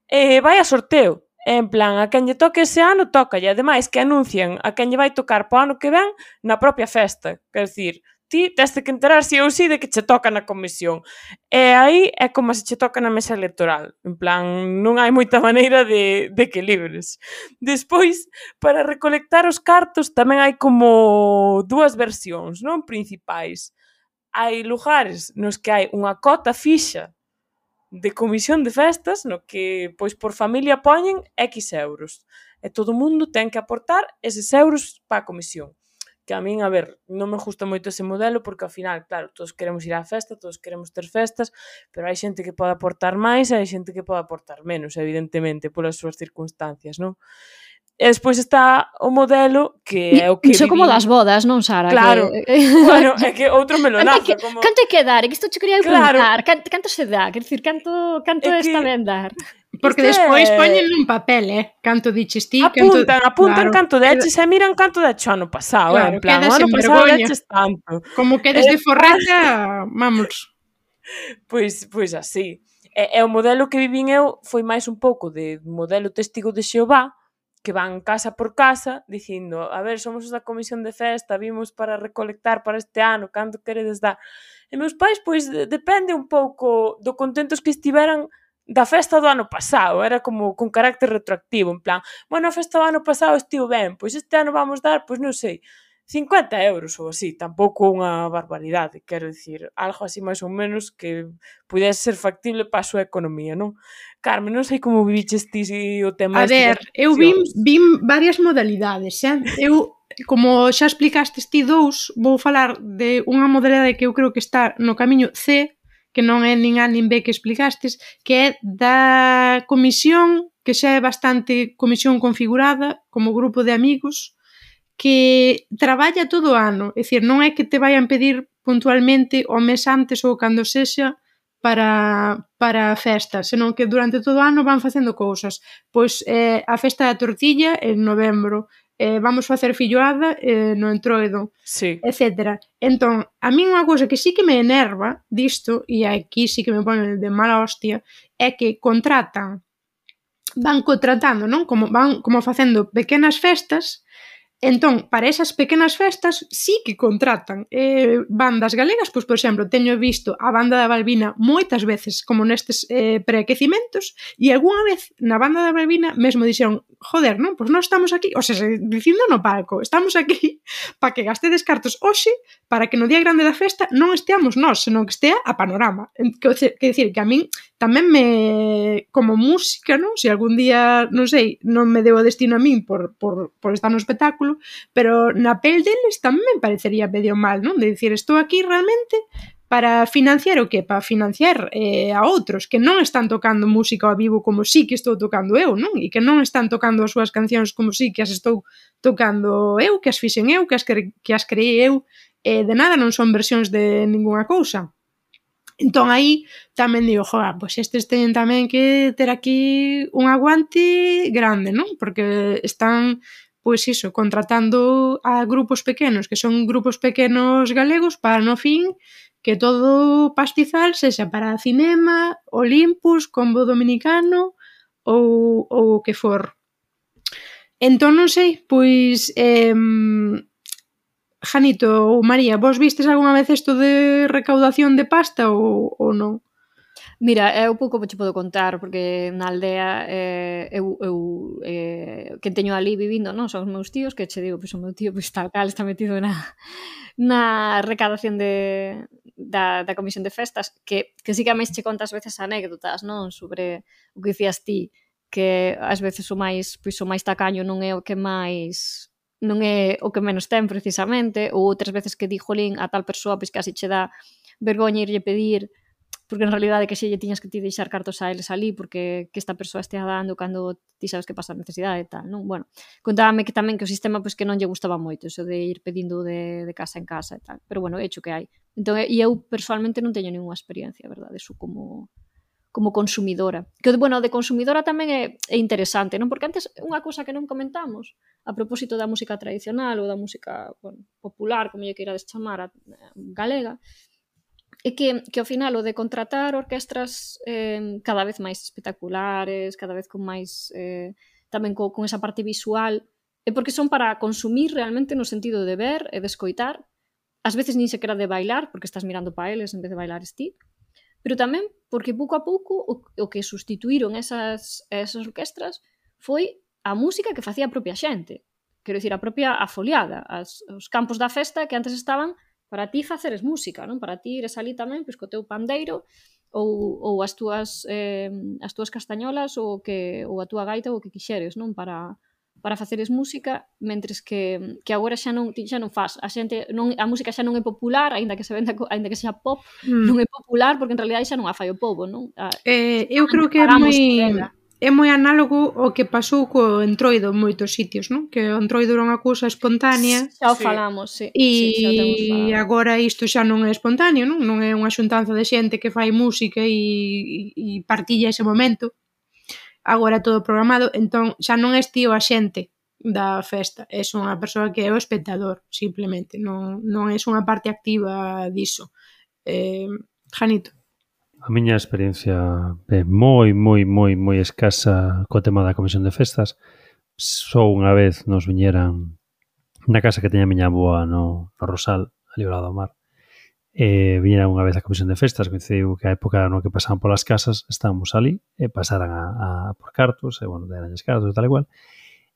eh, vai a sorteo. En plan, a quen lle toque ese ano, toca. E ademais que anuncian a quen lle vai tocar po ano que ven na propia festa. Quer dicir, ti teste que enterar si ou si de que che toca na comisión. E aí é como se che toca na mesa electoral. En plan, non hai moita maneira de, de que libres. Despois, para recolectar os cartos tamén hai como dúas versións, non? Principais. Hai lugares nos que hai unha cota fixa de comisión de festas, no que, pois, por familia poñen X euros. E todo o mundo ten que aportar eses euros para a comisión. Que a min, a ver, non me gusta moito ese modelo porque ao final, claro, todos queremos ir á festa, todos queremos ter festas, pero hai xente que pode aportar máis e hai xente que pode aportar menos, evidentemente, polas súas circunstancias, non? E despois está o modelo que é o que Iso viví... como das bodas, non, Sara? Claro, que... bueno, é que outro melonazo. Que, como... Canto hai que dar? É que isto che quería claro. preguntar. Canto, canto se dá? Quer dicir, canto, canto é está ben dar? Porque despois é... poñen nun papel, eh? Canto diches ti, apuntan, canto... apuntan claro. canto deches e miran canto deches ano pasado, claro, eh? En plan, o ano pasado deches tanto. Como quedes de forreta, vamos. Pois, pois así. E, e o modelo que vivín eu foi máis un pouco de modelo testigo de Xehová, que van casa por casa dicindo, a ver, somos os da comisión de festa, vimos para recolectar para este ano, canto queredes dar? E meus pais, pois, depende un pouco do contentos que estiveran da festa do ano pasado, era como con carácter retroactivo, en plan, bueno, a festa do ano pasado estivo ben, pois este ano vamos dar, pois non sei, cincuenta euros ou así, tampouco unha barbaridade, quero dicir, algo así máis ou menos que pudese ser factible para a súa economía, non? Carmen, non sei como viviches ti o tema... A ver, eu vim, vim varias modalidades, xa? Eu, como xa explicaste ti dous, vou falar de unha modalidade que eu creo que está no camiño C, que non é nin A nin B que explicastes, que é da comisión, que xa é bastante comisión configurada, como grupo de amigos, que traballa todo o ano, é dicir, non é que te vayan pedir puntualmente o mes antes ou cando sexa para, para a festa, senón que durante todo o ano van facendo cousas. Pois eh, a festa da tortilla en novembro, eh, vamos facer filloada eh, no entroido, sí. etcétera. Entón, a mí unha cousa que sí que me enerva disto, e aquí sí que me pone de mala hostia, é que contratan, van contratando, non? Como van como facendo pequenas festas. Entón, para esas pequenas festas sí que contratan eh, bandas galegas, pois, por exemplo, teño visto a banda da Balbina moitas veces como nestes eh, preaquecimentos, e algunha vez na banda da Balbina mesmo dixeron, joder, non, pois non estamos aquí, o sea, dicindo no palco, estamos aquí para que gastedes cartos hoxe, para que no día grande da festa non esteamos nós, senón que estea a Panorama. Que, que decir, que a min tamén me, como música, non? Se algún día, non sei, non me deu o destino a min por, por, por estar no espectáculo, pero na pel deles tamén me parecería medio mal, non? De dicir, estou aquí realmente para financiar o que? Para financiar eh, a outros que non están tocando música ao vivo como sí que estou tocando eu, non? E que non están tocando as súas cancións como sí que as estou tocando eu, que as fixen eu, que as, cre que as creei eu, eh, de nada non son versións de ningunha cousa. Entón aí tamén digo, joa, pois estes teñen tamén que ter aquí un aguante grande, non? Porque están, pois iso, contratando a grupos pequenos, que son grupos pequenos galegos, para no fin que todo pastizal sexa para cinema, Olympus, Combo Dominicano ou, ou o que for. Entón, non sei, pois... Eh, Janito ou María, vos vistes algunha vez isto de recaudación de pasta ou, ou non? Mira, eu pouco che podo contar, porque na aldea eh, eu, eu eh, que teño ali vivindo, non, son os meus tíos, que che digo, pois o meu tío pois, tal cal está metido na, na recadación de, da, da comisión de festas, que, que sí que a máis che contas veces anécdotas, non, sobre o que dicías ti, que ás veces o máis, pois, o máis tacaño non é o que máis... non é o que menos ten precisamente, ou outras veces que di, jolín, a tal persoa pois casi che dá vergoña irlle pedir, porque en realidade que xe lle tiñas que ti deixar cartos a eles ali, porque que esta persoa estea dando cando ti sabes que pasa a necesidade e tal, non? Bueno, contábame que tamén que o sistema pois que non lle gustaba moito, eso de ir pedindo de, de casa en casa e tal, pero bueno, hecho que hai. Entón, e eu personalmente non teño ninguna experiencia, verdade, eso como... como consumidora. Que, bueno, de consumidora tamén é, é interesante, non? Porque antes, unha cousa que non comentamos, a propósito da música tradicional ou da música, bueno, popular, como lle queirades chamar, a, a galega, é que, que ao final o de contratar orquestras eh, cada vez máis espectaculares, cada vez con máis, eh, tamén co, con esa parte visual, é porque son para consumir realmente no sentido de ver e de escoitar, ás veces nin sequera de bailar, porque estás mirando para eles en vez de bailar ti, pero tamén porque pouco a pouco o, o que sustituíron esas, esas orquestras foi a música que facía a propia xente. Quero dicir, a propia afoliada, as, os campos da festa que antes estaban para ti faceres música, non? Para ti ires ali tamén pois, co teu pandeiro ou, ou as túas eh, as túas castañolas ou, que, ou a túa gaita ou o que quixeres, non? Para... para faceres música, mentres que, que agora xa non, xa non faz. A xente non, a música xa non é popular, aínda que se venda, aínda que sexa pop, mm. non é popular porque en realidade xa non a fai o povo, non? A, eh, eu creo que é moi é moi análogo ao que pasou co entroido en moitos sitios, non? Que o entroido era unha cousa espontánea. Xa o falamos, sí. E sí, agora isto xa non é espontáneo, non? Non é unha xuntanza de xente que fai música e, e partilla ese momento. Agora todo programado, entón xa non és tío a xente da festa, és unha persoa que é o espectador, simplemente, non, non és unha parte activa diso. Eh, Janito. A miña experiencia é moi, moi, moi, moi escasa co tema da comisión de festas. Só unha vez nos viñeran na casa que teña a miña avoa no, no Rosal, ali ao lado do mar. E viñera unha vez a comisión de festas, coincidiu que a época no que pasaban polas casas estábamos ali e pasaran a, a por cartos, e bueno, deranlles cartos e tal igual.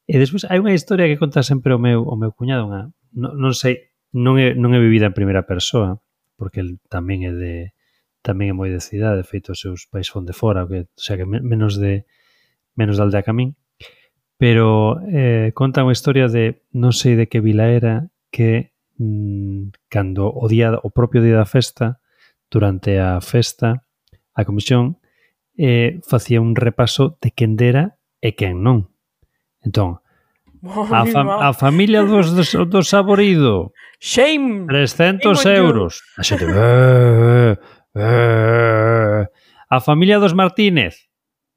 E despois hai unha historia que conta sempre o meu, o meu cuñado, unha, non, non sei, non é, non é vivida en primeira persoa, porque el tamén é de tamén é moi de cidade, de feito os seus pais fon de fora, que, o sea que menos de menos de aldea que a min, pero eh, conta unha historia de non sei de que vila era, que cando o día o propio día da festa, durante a festa, a comisión eh, facía un repaso de quen dera e quen non. Entón, a, fam a familia dos, dos, dos Saborido, shame, trescentos euros. A xente, eh, eh. A familia dos Martínez,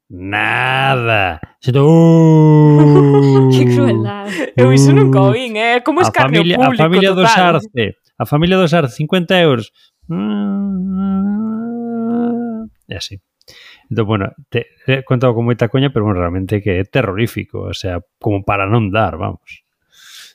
nada. Xente, uh. Que crueldade. Eu iso nunca o vin, eh? Como escarnio familia, público a familia total. dos Arce, a familia dos Arce, cincuenta euros. E así. Entón, bueno, te he contado con moita coña, pero bueno, realmente que é terrorífico, o sea, como para non dar, vamos.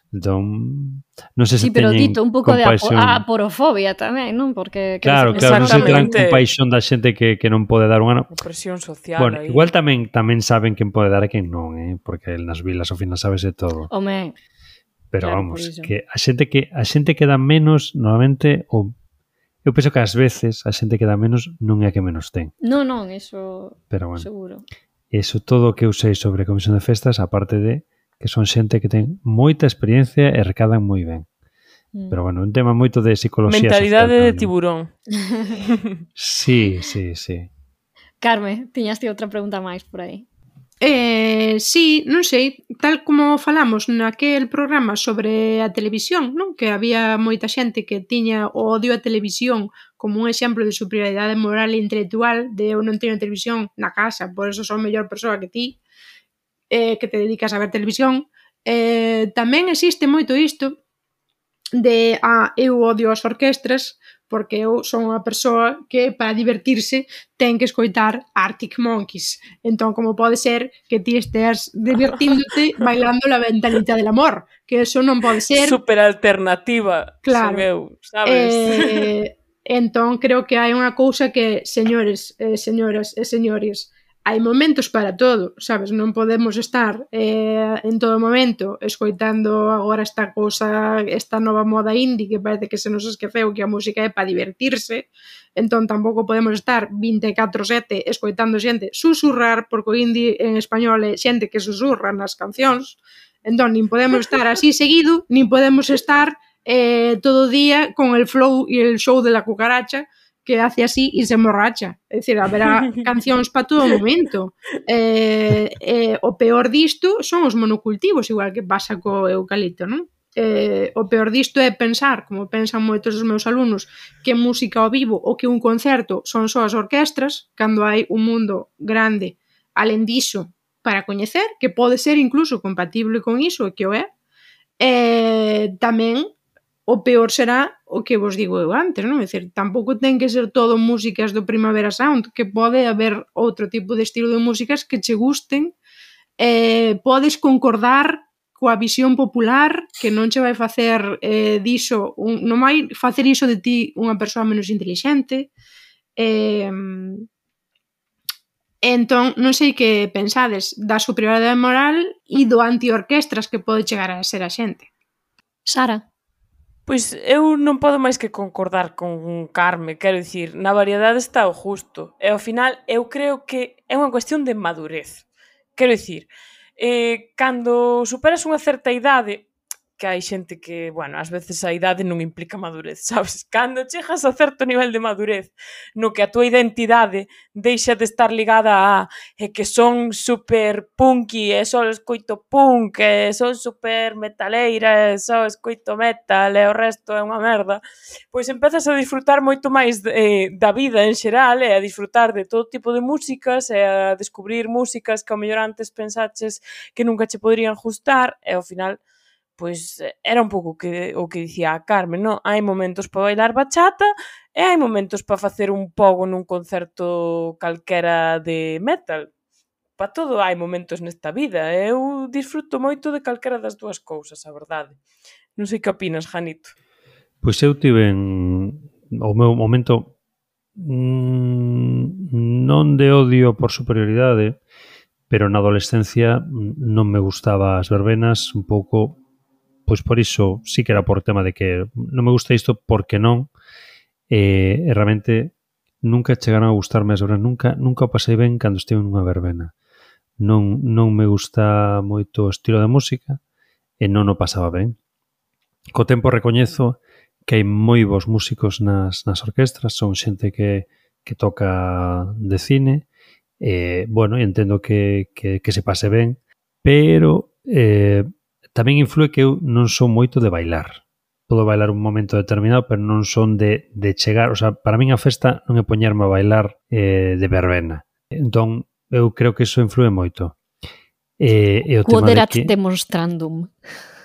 Entón, non sei se sí, pero teñen dito, un pouco compaixón. de a porofobia tamén, non? Porque claro, claro, non se terán compaixón da xente que, que non pode dar unha... Presión social. Bueno, aí. igual tamén tamén saben quen pode dar e quen non, eh? Porque nas vilas ao final sabese todo. Home, pero claro, vamos, que a xente que a xente que dá menos, normalmente, ou eu penso que ás veces a xente que dá menos non é a que menos ten. Non, non, eso pero bueno, seguro. Eso todo o que eu sei sobre a comisión de festas, aparte de que son xente que ten moita experiencia e recadan moi ben. Mm. Pero bueno, un tema moito de psicología mentalidade social. Mentalidade de tiburón. Sí, sí, sí. Carme, tiñas ti outra pregunta máis por aí. Eh, sí, non sei, tal como falamos naquel programa sobre a televisión, non? Que había moita xente que tiña o odio á televisión como un exemplo de superioridade moral e intelectual, de eu non teño televisión na casa, por eso son mellor persoa que ti, eh, que te dedicas a ver televisión. Eh, tamén existe moito isto de, ah, eu odio as orquestras, porque eu son unha persoa que para divertirse ten que escoitar Arctic Monkeys. Entón, como pode ser que ti estés divertíndote bailando La Ventanita del Amor? Que eso non pode ser. Super alternativa, claro. Son eu, sabes? Eh, entón, creo que hai unha cousa que, señores, eh, señoras e señores, hai momentos para todo, sabes? Non podemos estar eh, en todo momento escoitando agora esta cousa, esta nova moda indie que parece que se nos esqueceu que a música é para divertirse, entón tampouco podemos estar vinte e catro sete escoitando xente susurrar, porque o indie en español é xente que susurra nas cancións, entón nin podemos estar así seguido, nin podemos estar eh, todo o día con el flow e el show de la cucaracha, que hace así e se emborracha. É dicir, haberá cancións para todo o momento. Eh, eh, o peor disto son os monocultivos, igual que pasa co eucalipto, non? Eh, o peor disto é pensar, como pensan moitos dos meus alumnos, que música ao vivo ou que un concerto son só as orquestras, cando hai un mundo grande, alén diso, para coñecer, que pode ser incluso compatible con iso, e que o é. Eh, tamén o peor será o que vos digo eu antes, non? É dicir, tampouco ten que ser todo músicas do Primavera Sound, que pode haber outro tipo de estilo de músicas que che gusten, eh, podes concordar coa visión popular, que non che vai facer eh, diso, un, non vai facer iso de ti unha persoa menos intelixente. Eh, entón, non sei que pensades da superioridade moral e do anti-orquestras que pode chegar a ser a xente. Sara? Pois eu non podo máis que concordar con Carme, quero dicir, na variedade está o justo, e ao final eu creo que é unha cuestión de madurez. Quero dicir, eh, cando superas unha certa idade, que hai xente que, bueno, ás veces a idade non implica madurez, sabes? Cando chegas a certo nivel de madurez, no que a tua identidade deixa de estar ligada a e que son super punky, e só escoito punk, e son super metaleira, e só escoito metal, e o resto é unha merda, pois empezas a disfrutar moito máis eh, da vida en xeral, e a disfrutar de todo tipo de músicas, e a descubrir músicas que ao mellor antes pensaches que nunca che poderían gustar, e ao final pois era un pouco que, o que dicía a Carmen, non? Hai momentos para bailar bachata e hai momentos para facer un pogo nun concerto calquera de metal. Para todo hai momentos nesta vida. Eu disfruto moito de calquera das dúas cousas, a verdade. Non sei que opinas, Janito. Pois eu tive en o meu momento mmm, non de odio por superioridade, pero na adolescencia non me gustaba as verbenas, un pouco. Pois por iso sí que era por tema de que non me gusta isto porque non, e, e realmente nunca chegaron a gustarme as verbenas, nunca, nunca o pasei ben cando estive nunha verbena. Non, non me gusta moito o estilo de música e non o pasaba ben. Co tempo recoñezo que hai moi bons músicos nas, nas orquestras, son xente que, que toca de cine, e, bueno, entendo que, que, que se pase ben, pero eh, tamén influe que eu non son moito de bailar. Podo bailar un momento determinado, pero non son de, de chegar... O sea, para min a festa non é poñerme a bailar eh, de verbena. Entón, eu creo que iso influe moito. E, e o tema de que... demonstrandum.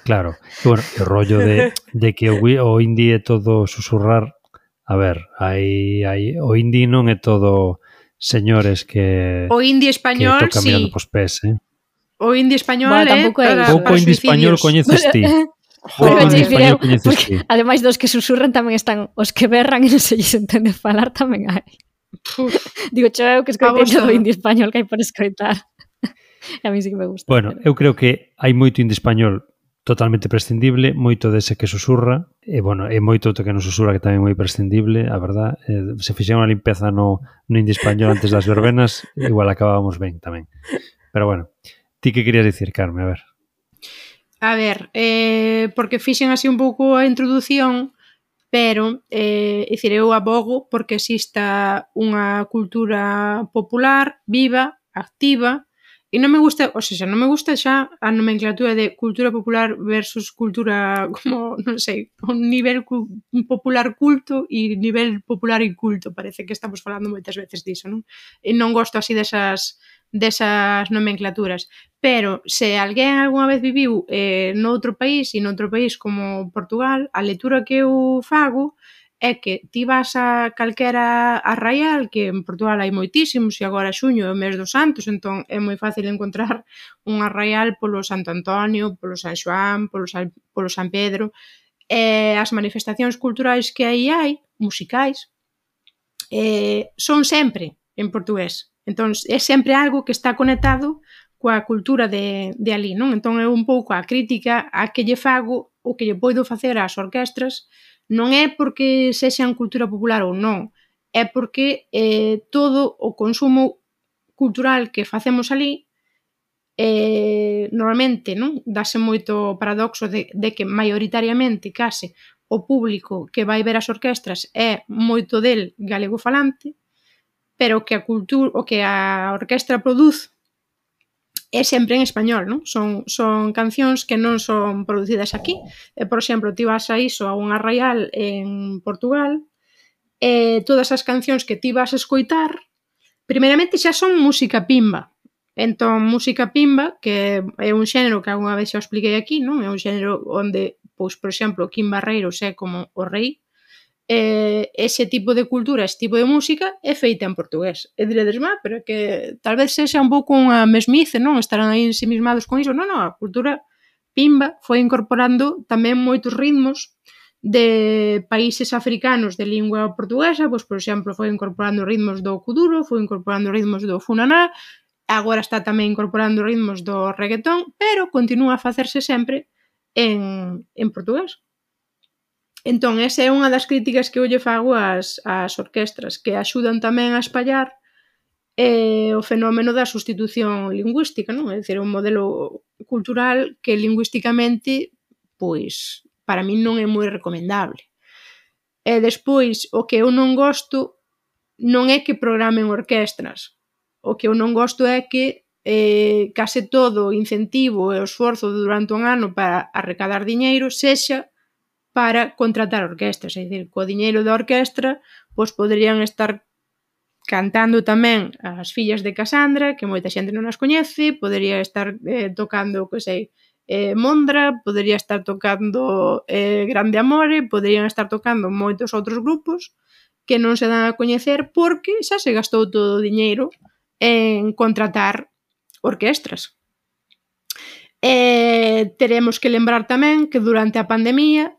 Claro. E, bueno, o rollo de, de que o, o indie é todo susurrar... A ver, hai, hai, o indie non é todo señores que... O indie español, que tocan sí. mirando pos pés, eh? O indie español bueno, é para, pouco para indie español coñeces ti. Pouco indie español coñeces ti. Ademais dos que susurran tamén están os que berran e non se lles entende falar tamén hai. Digo, cho eu que escoitei todo o indie español que hai por escoitar. E a mí sí que me gusta. Bueno, eu creo que hai moito indie español totalmente prescindible, moito dese que susurra, e, bueno, e moito outro que non susurra que tamén é moi prescindible, a verdad. Eh, se fixera unha limpeza no, no indie español antes das verbenas, igual acabábamos ben tamén. Pero bueno, ti que querías dicir, Carme? A ver. A ver, eh, porque fixen así un pouco a introdución, pero, eh, é dicir, eu abogo porque exista unha cultura popular, viva, activa, E non me gusta, ou seja, non me gusta xa a nomenclatura de cultura popular versus cultura como, non sei, un nivel cu un popular culto e nivel popular inculto. Parece que estamos falando moitas veces diso, non? E non gosto así desas desas nomenclaturas. Pero se alguén algunha vez viviu eh, noutro país e noutro país como Portugal, a lectura que eu fago é que ti vas a calquera arraial, que en Portugal hai moitísimos, e agora xuño é o mes dos santos, entón é moi fácil encontrar un arraial polo Santo Antonio, polo San Xoán, polo San, polo San Pedro, e as manifestacións culturais que aí hai, musicais, eh, son sempre en portugués. Entón, é sempre algo que está conectado coa cultura de, de ali, non? Entón, é un pouco a crítica a que lle fago o que lle poido facer ás orquestras. Non é porque sexan cultura popular ou non, é porque eh, todo o consumo cultural que facemos ali eh, normalmente non dáse moito paradoxo de, de que maioritariamente case o público que vai ver as orquestras é moito del galego falante, pero que a cultura, o que a orquestra produz é sempre en español, non? Son, son cancións que non son producidas aquí. E, por exemplo, ti vas a iso, a un arraial en Portugal, e todas as cancións que ti vas a escoitar, primeiramente xa son música pimba. Entón, música pimba, que é un xénero que algunha vez xa expliquei aquí, non? É un xénero onde, pois, por exemplo, Kim Barreiros é como o rei. Eh, ese tipo de cultura, ese tipo de música é feita en portugués. E diredes, má, pero que tal vez sexa un pouco unha mesmice, non? Estarán aí ensimismados con iso. Non, non, a cultura pimba foi incorporando tamén moitos ritmos de países africanos de lingua portuguesa, pois, por exemplo, foi incorporando ritmos do kuduro, foi incorporando ritmos do funaná, agora está tamén incorporando ritmos do reggaetón, pero continúa a facerse sempre en, en portugués. Entón, esa é unha das críticas que eu lle fago ás, ás orquestras, que axudan tamén a espallar eh, o fenómeno da sustitución lingüística, non? É dicir, un modelo cultural que lingüísticamente, pois, para min non é moi recomendable. E despois, o que eu non gosto non é que programen orquestras. O que eu non gosto é que eh, case todo o incentivo e o esforzo durante un ano para arrecadar diñeiro sexa para contratar orquestras, é dicir, co diñeiro da orquestra, pois poderían estar cantando tamén as fillas de Casandra, que moita xente non as coñece, podería estar eh, tocando, que sei, eh, Mondra, podería estar tocando eh, Grande Amore, poderían estar tocando moitos outros grupos que non se dan a coñecer porque xa se gastou todo o diñeiro en contratar orquestras. Eh, teremos que lembrar tamén que durante a pandemia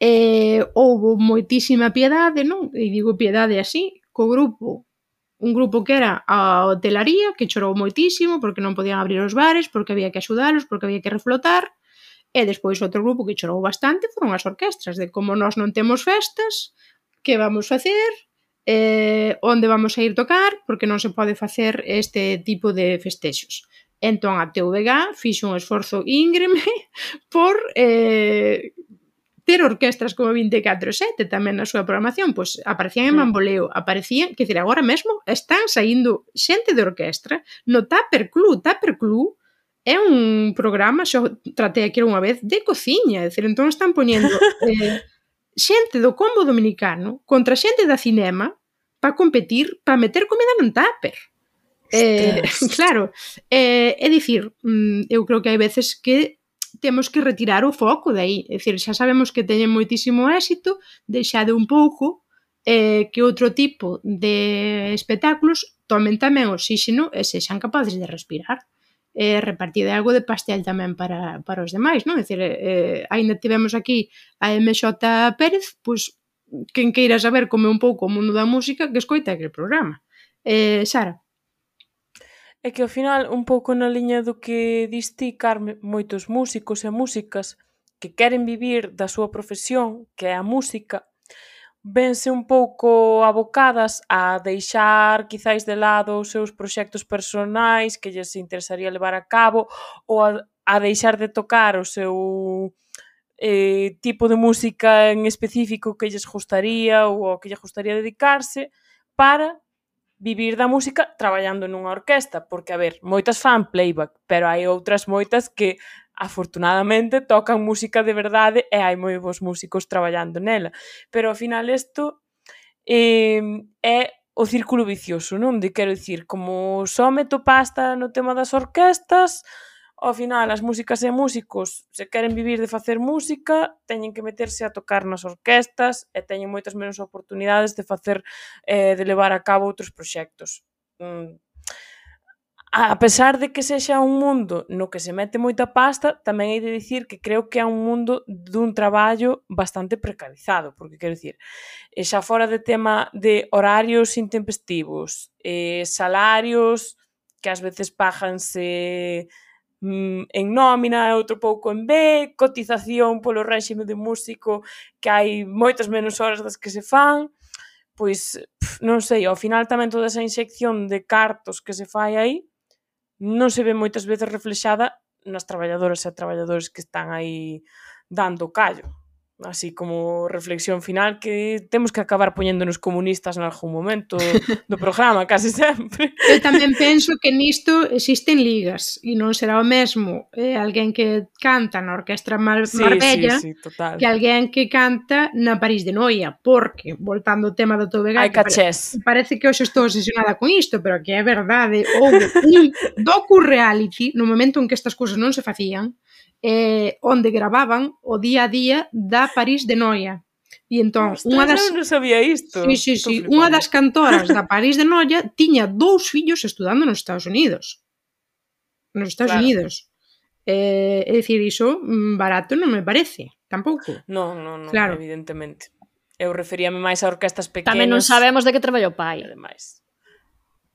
eh, houbo moitísima piedade, non? E digo piedade así, co grupo, un grupo que era a hotelaría, que chorou moitísimo porque non podían abrir os bares, porque había que axudalos, porque había que reflotar, e despois outro grupo que chorou bastante foron as orquestras, de como nós non temos festas, que vamos facer, eh, onde vamos a ir tocar, porque non se pode facer este tipo de festexos. Entón a T V G fixo un esforzo íngreme por eh, ter orquestras como vinte e catro sete tamén na súa programación, pois aparecían en Bamboleo, aparecían, que decir, agora mesmo están saindo xente de orquestra no Tupper Club. Tupper Club é un programa, xo tratei aquí unha vez, de cociña, é dicir, entón están poñendo eh, xente do combo dominicano contra xente da cinema para competir, para meter comida nun tupper. Eh, claro, eh, é dicir, eu creo que hai veces que temos que retirar o foco de aí. É dicir, xa sabemos que teñen moitísimo éxito, deixade un pouco eh, que outro tipo de espectáculos tomen tamén oxígeno e sexan capaces de respirar. Eh, repartir algo de pastel tamén para, para os demais, non? É dicir, eh, ainda tivemos aquí a M X Pérez, pois, quen queira saber como é un pouco o mundo da música, que escoita aquele programa. Eh, Sara? É que ao final, un pouco na liña do que dis ti, Carme, moitos músicos e músicas que queren vivir da súa profesión, que é a música, vense un pouco abocadas a deixar quizáis de lado os seus proxectos personais que lles interesaría levar a cabo ou a, a deixar de tocar o seu eh, tipo de música en específico que lles gustaría ou ao que lle gustaría dedicarse para vivir da música traballando nunha orquesta, porque, a ver, moitas fan playback, pero hai outras moitas que afortunadamente tocan música de verdade e hai moi bons músicos traballando nela. Pero ao final isto eh, é o círculo vicioso, non? De quero dicir, como só meto pasta no tema das orquestas, ao final as músicas e músicos, se queren vivir de facer música, teñen que meterse a tocar nas orquestas e teñen moitas menos oportunidades de facer, eh, de levar a cabo outros proxectos. Mm. A pesar de que sexa un mundo no que se mete moita pasta, tamén hai de dicir que creo que é un mundo dun traballo bastante precarizado, porque quero dicir, xa fora de tema de horarios intempestivos, eh, salarios que ás veces páganse en nómina e outro pouco en B, cotización polo réxime de músico que hai moitas menos horas das que se fan, pois, pf, non sei, ao final tamén toda esa inxección de cartos que se fai aí non se ve moitas veces reflexada nas traballadoras e traballadores que están aí dando callo. Así como reflexión final que temos que acabar poñéndonos comunistas en algún momento do programa, casi sempre. Eu tamén penso que nisto existen ligas e non será o mesmo eh, alguén que canta na Orquestra Mar Sí, Marbella sí, sí, total. que alguén que canta na París de Noia, porque, voltando ao tema do Tobegán, Hai cachés. parece que hoxe estou obsesionada con isto, pero que é verdade, houve un docu-reality no momento en que estas cousas non se facían, eh, onde gravaban o día a día da París de Noia. E entón, Ostras, unha das... eu non sabía isto. Sí, sí, Estou sí. flipando. Unha das cantoras da París de Noia tiña dous fillos estudando nos Estados Unidos. Nos Estados Claro. Unidos. Eh, é dicir, iso mm, barato non me parece, tampouco. Non, non, non, Claro. evidentemente. Eu referíame máis a orquestas pequenas. Tamén non sabemos de que traballa o pai. E demais.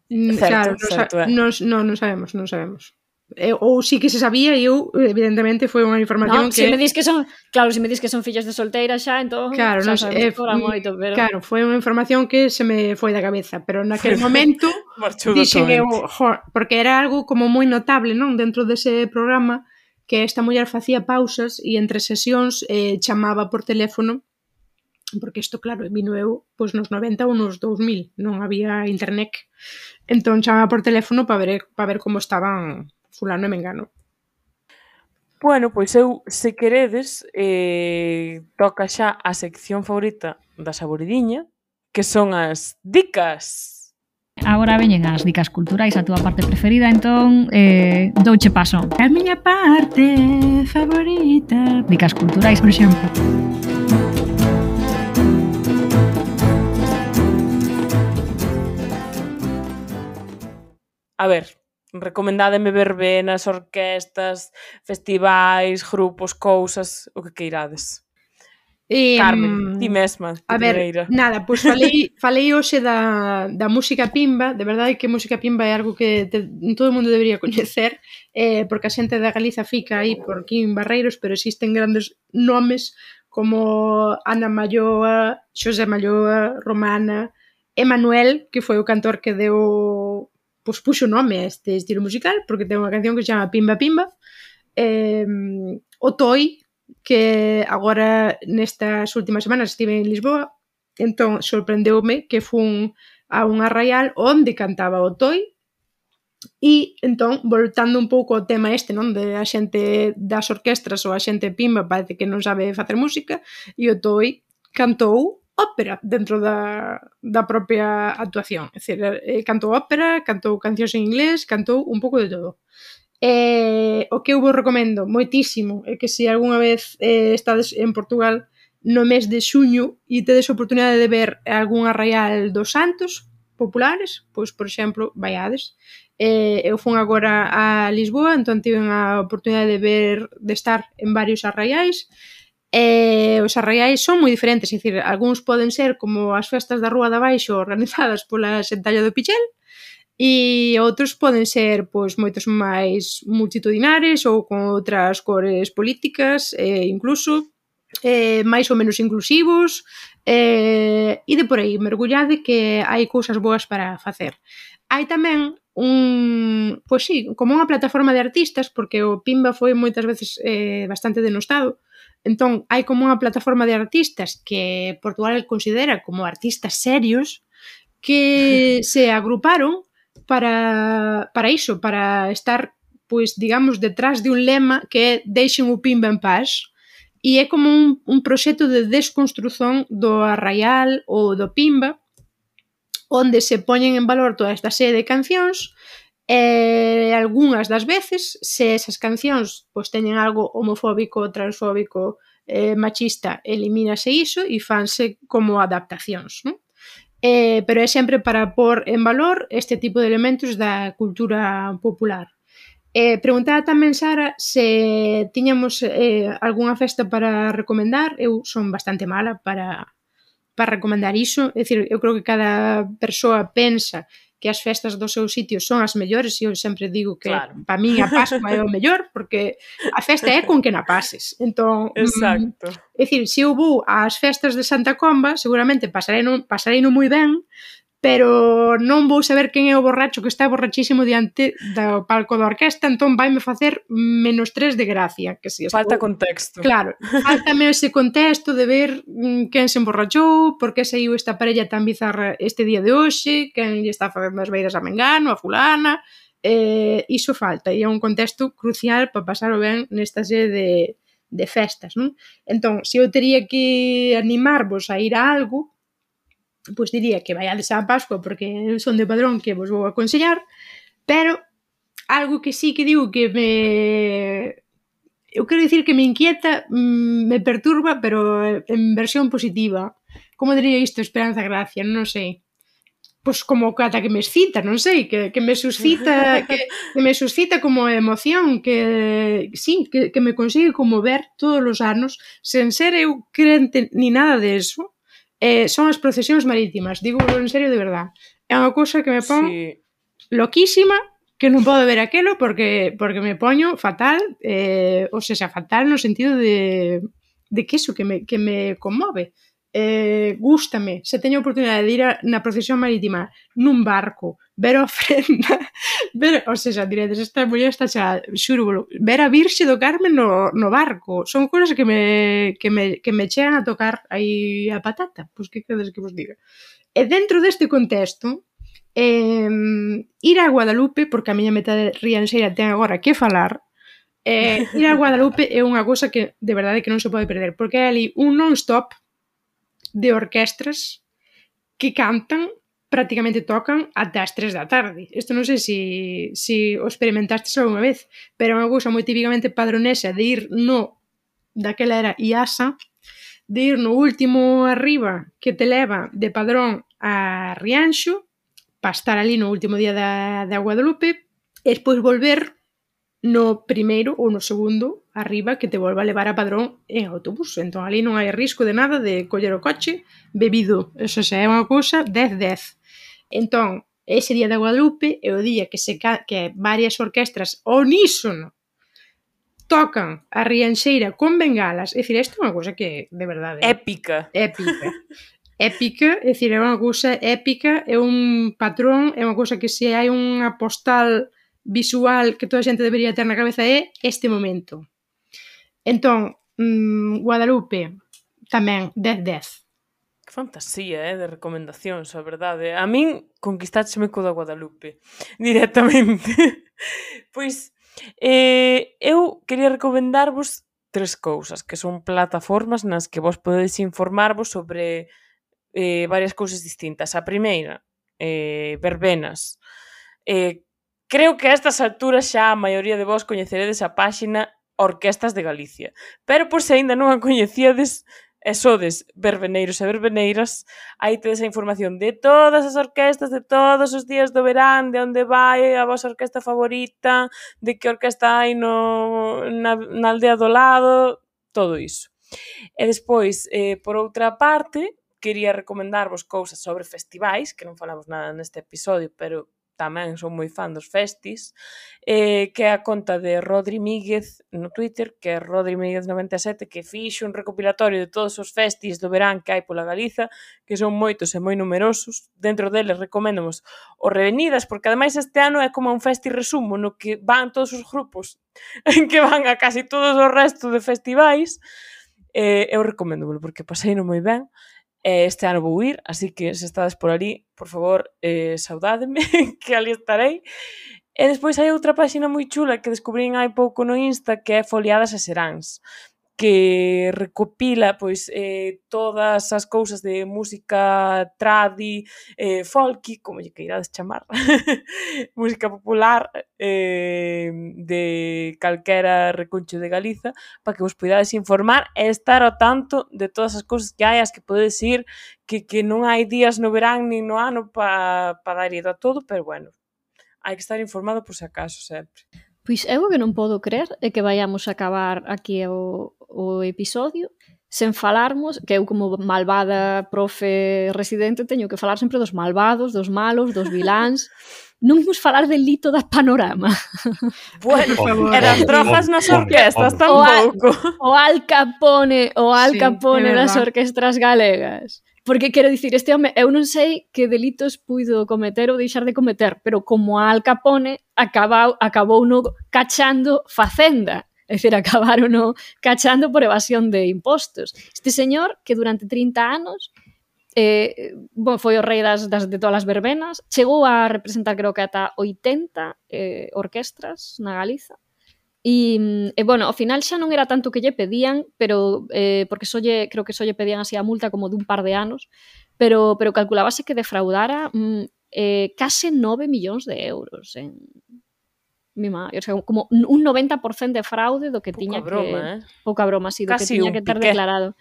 Mm, Certo, claro, non, certo, sa- é. non, non, non sabemos, non sabemos. Eh, ou sí que se sabía e eu, evidentemente, foi unha información No, que... se me dis que son, claro, se me dis que son fillos de solteira xa, entón Claro, xa non, sabemos eh, que cobran mm, moito, pero claro, foi unha información que se me foi da cabeza, pero naquele momento Marchou dixen eu, totalmente. jo, porque era algo como moi notable, non, dentro dese programa, que esta muller facía pausas e entre sesións eh, chamaba por teléfono, porque isto, claro, vino eu pois nos noventa ou nos dous mil, non había internet, entón chamaba por teléfono para ver, para ver como estaban fulano e mengano. Bueno, pois eu, se queredes, eh, toca xa a sección favorita da Saboridiña, que son as dicas. agora veñen as dicas culturais, a túa parte preferida, entón eh, douche paso. A miña parte favorita. Dicas culturais, por exemplo. A ver, recomendádeme verbenas, orquestas, festivais, grupos, cousas, o que queirades. Eh, Carmen, ti mesma, de A ver, primeira. nada, pois falei, falei hoxe da, da música pimba, de verdade que música pimba é algo que te, todo o mundo debería coñecer, eh, porque a xente da Galiza fica aí por aquí en Barreiros, pero existen grandes nomes como Ana Malloa, Xosé Malloa, Romana, Emanuel, que foi o cantor que deu, pois puxo nome a este estilo musical, porque ten unha canción que se chama Pimba Pimba, eh, o Toi, que agora nestas últimas semanas estive en Lisboa, entón sorprendeume que fun a un arraial onde cantaba o Toi e entón, voltando un pouco ao tema este, non, de a xente das orquestras ou a xente pimba parece que non sabe facer música e o Toi cantou ópera dentro da, da propia actuación, é dicir, eh, cantou ópera, cantou cancións en inglés, cantou un pouco de todo. Eh, o que eu vos recomendo moitísimo é que se algunha vez eh, estades en Portugal no mes de xuño e tedes a oportunidade de ver algún arraial dos santos populares, pois, por exemplo, vaiades. Eh, eu fun agora a Lisboa, entón tive a oportunidade de ver, de estar en varios arraiais. Eh, os arraiais son moi diferentes, é dicir, algúns poden ser como as festas da Rúa de Abaixo organizadas pola Xentalla do Pichel, e outros poden ser pois moitos máis multitudinares ou con outras cores políticas, eh, incluso eh, máis ou menos inclusivos, eh, e de por aí, mergullade que hai cousas boas para facer. Hai tamén un, pois sí, como unha plataforma de artistas, porque o Pimba foi moitas veces eh, bastante denostado, entón hai como unha plataforma de artistas que Portugal considera como artistas serios, que se agruparon para, para iso, para estar, pois, digamos, detrás de un lema que é deixen o Pimba en paz, e é como un, un proxecto de desconstrución do arraial ou do Pimba, onde se poñen en valor toda esta serie de cancións e algunhas das veces, se esas cancións pois, teñen algo homofóbico, transfóbico, eh, machista, elimínase iso e fanse como adaptacións, non? Eh, pero é sempre para pôr en valor este tipo de elementos da cultura popular. Eh, preguntaba tamén Sara se tiñamos eh, algunha festa para recomendar. Eu son bastante mala para, para recomendar iso, é dicir, eu creo que cada persoa pensa que as festas do seu sitio son as mellores e eu sempre digo que Claro. para min a Pascua é o mellor porque a festa é con que na pases. Entón, Exacto. mm, é dicir, se eu vou ás festas de Santa Comba, seguramente pasarei no, pasarei no moi ben, pero non vou saber quen é o borracho que está borrachísimo diante do palco da orquesta, entón vaime facer menos tres de gracia. Que si Falta estou... contexto. Claro, faltame ese contexto de ver mm, quen se emborrachou, por que saiu esta parella tan bizarra este día de hoxe, quen lle está facendo as beiras a Mengano, a fulana, eh, iso falta, e é un contexto crucial para pasar o ben nesta serie de, de festas, non? Entón, se eu teria que animarvos a ir a algo, pois diría que vaiades á Pascua porque son de Padrón que vos vou aconsellar, pero algo que sí que digo que me... eu quero dicir que me inquieta, me perturba, pero en versión positiva. Como diría isto, Esperanza Gracia? Non sei. Pois como ata que me excita, non sei, que, que me suscita que, que me suscita como emoción, que sí, que, que me consigue conmover todos os anos, sen ser eu crente ni nada de eso. Eh, son as procesións marítimas, digo en serio de verdad. É unha cousa que me pon Sí. loquísima, que non podo ver aquelo porque porque me poño fatal, eh, ou seja, fatal no sentido de de que eso, que me, que me conmove. Eh, gústame, se teño a oportunidade de ir a, na procesión marítima nun barco, ver a ofrenda, ver, ou seja, diredes, esta muller está xa, xuro, ver a Virxe do Carmen no, no barco, son cousas que me, que me, que me chegan a tocar aí a patata, pois que queres que vos diga. E dentro deste contexto, eh, ir a Guadalupe, porque a miña metade rianxeira ten agora que falar, eh, ir a Guadalupe é unha cousa que de verdade que non se pode perder, porque é ali un non-stop de orquestras que cantan, prácticamente tocan ata as tres da tarde. Isto non sei se si, si o experimentastes algunha vez, pero é unha cousa moi típicamente padronesa de ir no, daquela era I A S A, de ir no último arriba que te leva de Padrón a Rianxo, para estar ali no último día da, da Guadalupe, e despois volver no primeiro ou no segundo arriba que te volva a levar a Padrón en autobús. Entón, ali non hai risco de nada de coller o coche bebido. Eso xa é unha cousa dez dez. Entón, ese día da Guadalupe é o día que se que varias orquestras unísono tocan a rianxeira con bengalas. É dicir, isto é unha cousa que, de verdade... Épica. Épica. Épica, é dicir, é unha cousa épica, é un patrón, é unha cousa que se hai unha postal visual que toda a xente debería ter na cabeza é este momento. Entón, mmm, Guadalupe, tamén, dez dez. Que fantasía, eh, de recomendacións, a verdade. A min conquistácheme co da Guadalupe, directamente. Pois, eh, eu quería recomendarvos tres cousas, que son plataformas nas que vos podedes informarvos sobre eh, varias cousas distintas. A primeira, eh, verbenas. Eh, Creo que a estas alturas xa a maioría de vos coñeceredes a páxina Orquestas de Galicia. Pero por se aínda non a coñecíades e sodes verbeneiros e verbeneiras, aí tedes a información de todas as orquestas, de todos os días do verán, de onde vai a vosa orquesta favorita, de que orquesta hai no, na, na aldea do lado, todo iso. E despois, eh, por outra parte, quería recomendarvos cousas sobre festivais, que non falamos nada neste episodio, pero tamén son moi fan dos festis, eh, que é a conta de Rodri Míguez no Twitter, que é Rodri Míguez noventa e sete, que fixo un recopilatorio de todos os festis do verán que hai pola Galiza, que son moitos e moi numerosos. Dentro deles recoméndamos o Revenidas, porque ademais este ano é como un festi resumo, no que van todos os grupos que van a casi todos os restos de festivais. Eh, eu recoméndovelo porque pasei no moi ben. e este ano vou ir, así que se estades por ali, por favor, eh, saudádeme, que ali estarei. E despois hai outra páxina moi chula que descubrín hai pouco no Insta, que é Foliadas e Seráns, que recopila pois eh, todas as cousas de música tradi, eh, folky, como lle queirades chamar, música popular eh, de calquera reconcho de Galiza, para que vos poidades informar e estar ao tanto de todas as cousas que hai, as que podedes ir, que, que non hai días no verán nin no ano para pa dar ido a todo, pero bueno, hai que estar informado por se acaso sempre. Pois eu o que non podo crer é que vayamos a acabar aquí o, o episodio sen falarmos, que eu como malvada profe residente teño que falar sempre dos malvados, dos malos, dos viláns. Non imos falar del Lito da Panorama. Bueno, e das drogas nas orquestas tampouco. tampouco. O Al Capone, o Al Sí, Capone é das verdad. orquestras galegas. Porque quero dicir, este home, eu non sei que delitos puido cometer ou deixar de cometer, pero como a Al Capone acabou, acabou no cachando facenda. É dicir, acabaron no cachando por evasión de impostos. Este señor, que durante trinta anos eh, bon, foi o rei das, das, de todas as verbenas, chegou a representar, creo que ata oitenta eh, orquestras na Galiza. E, e, bueno, ao final xa non era tanto que lle pedían, pero eh, porque só lle, creo que só lle pedían así a multa como dun par de anos, pero, pero calculábase que defraudara mm, eh, case nove millóns de euros en mi má, o sea, como un noventa por cento de fraude do que Pouca tiña broma, que... eh? Pouca broma, sí, do Casi que tiña un que ter Piqué. declarado.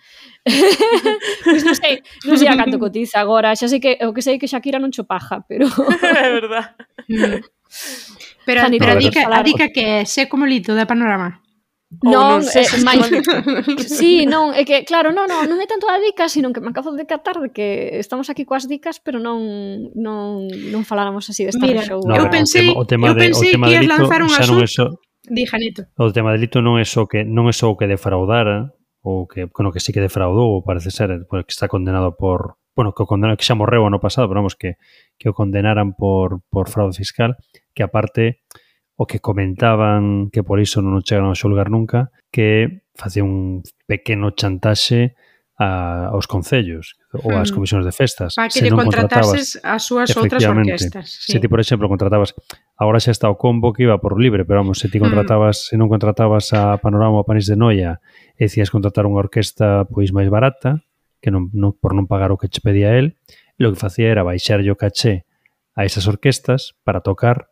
Pois non sei, non sei a canto cotiza agora, xa sei que o que sei que Shakira non cho paja, pero... É verdad. Mm. Pero, Xa ni pero a podemos dica, a falar. dica que é sé como Lito da Panorama. Ou Non, non sei eh, se máis... máis... Sí, non, é que, claro, non, non, non é tanto a dica, sino que me acabo de catar de que estamos aquí coas dicas, pero non non, non faláramos así desta Mira, show. No, eu o pensei, tema- o tema eu de- o pensei tema que de ias Lito lanzar un xa non é asunto. só- Di, Janito. O tema de delito non é só que non é só o que defraudara, ou que, bueno, que sí que defraudou, parece ser, porque está condenado por, bueno, que o condenado, que xa morreu ano pasado, pero vamos, que, que o condenaran por, por fraude fiscal, que aparte o que comentaban, que por iso non o chegaron a xulgar nunca, que facía un pequeno chantaxe a, aos concellos ou ás Mm. comisións de festas. Para que Se lle non contratases as súas outras efectivamente, orquestas. Sí. Se ti, por exemplo, contratabas, agora xa está o combo que iba por libre, pero vamos, se ti contratabas, se non contratabas a Panorama ou a Panís de Noia e decías contratar unha orquesta pois máis barata, que non, non por non pagar o que che pedía el, lo que facía era baixarlle o caché a esas orquestas para tocar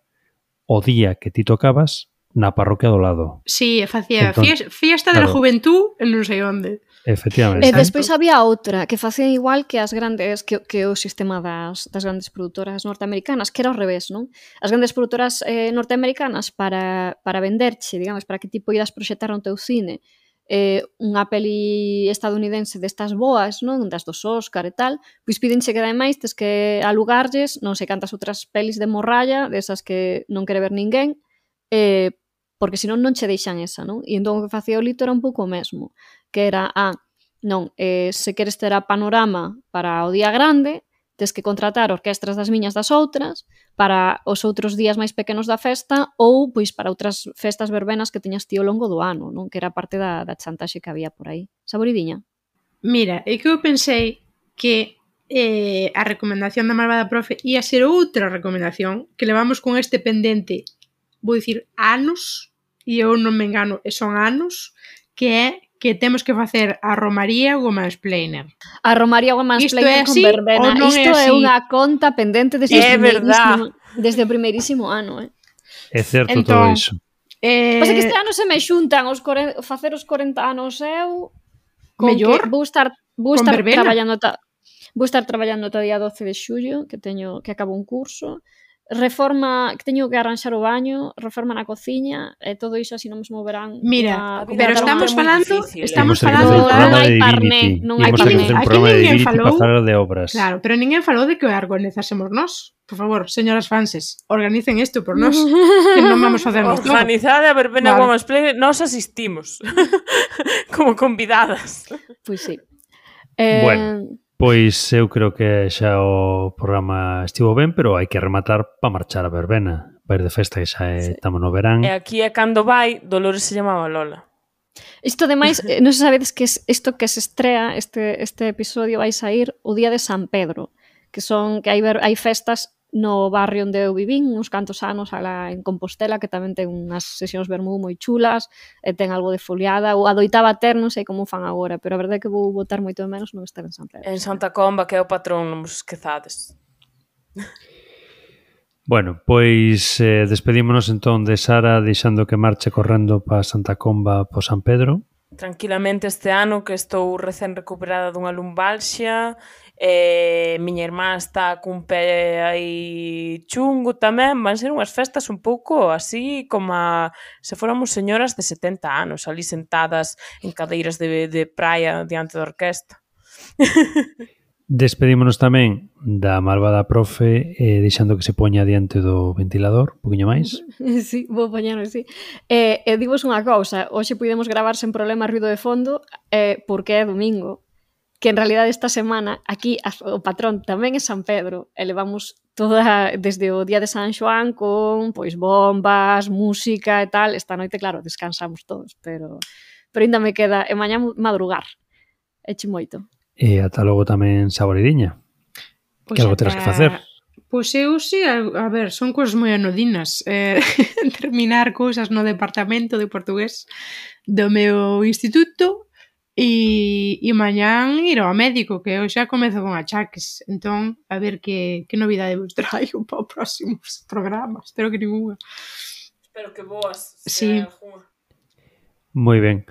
o día que ti tocabas na parroquia do lado. Sí, facía Entón, fies- fiesta de la claro. juventud en non sei onde. Efectivamente. E Exacto. despois había outra que facía igual que as grandes que, que o sistema das, das grandes produtoras norteamericanas, que era ao revés, non? As grandes produtoras eh, norteamericanas para, para venderche, digamos, para que ti poidas proxectar no teu cine eh, unha peli estadounidense destas boas, non? Das dos Óscar e tal, pois pídenche que ademais tes que alugarlles non sei cantas outras pelis de morralla, desas que non quere ver ninguén, eh, porque senón non che deixan esa, non? E entón o que facía o Lito era un pouco o mesmo, que era, ah, non, eh, se queres ter a Panorama para o día grande, tes que contratar orquestras das miñas das outras para os outros días máis pequenos da festa ou pois para outras festas verbenas que teñas ti ao longo do ano, non? Que era parte da, da chantaxe que había por aí. Saboridiña? Mira, é que eu pensei que eh, a recomendación da malvada profe ia ser outra recomendación que levamos con este pendente, vou dicir, anos, e eu non me engano, e son anos, que é que temos que facer a Romaría ou o Mansplainer. A Romaría ou a Isto Mansplainer é con así verbena. ou non é Isto é así? unha conta pendente desde, É o verdad. primeirísimo, desde o primeirísimo ano, eh? É certo todo Entón, iso. Eh, Pasa que este ano se me xuntan os core... facer os corenta anos eu con Mellor que vou estar vou con estar verbena. traballando ta... vou estar traballando ata o día doce de xullo, que teño que acabo un curso. Reforma, que teño que arranxar o baño, reforma na cociña, e todo iso así non mesmo verán. Mira, A vida pero adulta estamos é moi falando, difícil, eh. estamos Imos ter que falando facer un Non programa hai de parné, Divinity. non hai Imos ter que parné. facer un Aquí programa de ninguén Divinity falou. para falar de obras. Claro, pero ninguén falou de que o organizásemos nós. Por favor, señoras fanses, organicen isto por nós, que non vamos facernos todo. Organizada a verbena Vale. Women's Play, nós asistimos como convidadas. Pois sí. Eh, Bueno. Pois eu creo que xa o programa estivo ben, pero hai que rematar para marchar a verbena. Para ir de festa, que xa é, Sí. estamos no verán. E aquí é cando vai, Dolores se chamaba Lola. Isto, ademais, eh, non se sabedes que es, isto que se estrea, este, este episodio vai sair o día de San Pedro, que son que hai, ver, hai festas no barrio onde eu vivín uns cantos anos alá en Compostela, que tamén ten unhas sesións vermú moi chulas, e ten algo de foliada, ou adoitaba ter, non sei como fan agora, pero a verdade é que vou botar moito de menos non estar en San Pedro. En Santa Comba, que é o patrón, non vos esquezades. Bueno, pois eh, despedímonos entón de Sara deixando que marche correndo para Santa Comba po San Pedro. Tranquilamente este ano que estou recén recuperada dunha lumbalxia, e miña irmá está cun pé aí chungo tamén, van ser unhas festas un pouco así como a, se fóramos señoras de setenta anos ali sentadas en cadeiras de, de praia diante da orquesta. Despedímonos tamén da malvada profe eh, deixando que se poña diante do ventilador, un poquinho máis. Sí, vou poñer así. E, e divos unha cousa, hoxe podemos gravar sen problema ruido de fondo eh, porque é domingo, que en realidad esta semana aquí o patrón tamén é San Pedro e levamos toda desde o día de San Xoán con pois bombas, música e tal. Esta noite, claro, descansamos todos, pero pero ainda me queda e mañá madrugar. Eche moito. E ata logo tamén saboridiña. Pois que algo terás que facer. Pois eu sí, a, a ver, son cousas moi anodinas. Eh, terminar cousas no departamento de portugués do meu instituto e, e mañán ir ao médico, que eu xa comezo con achaques. Entón, a ver que, que novidade vos traigo para os próximos programas. Espero que ninguna. Espero que boas. Sí. Moi ben.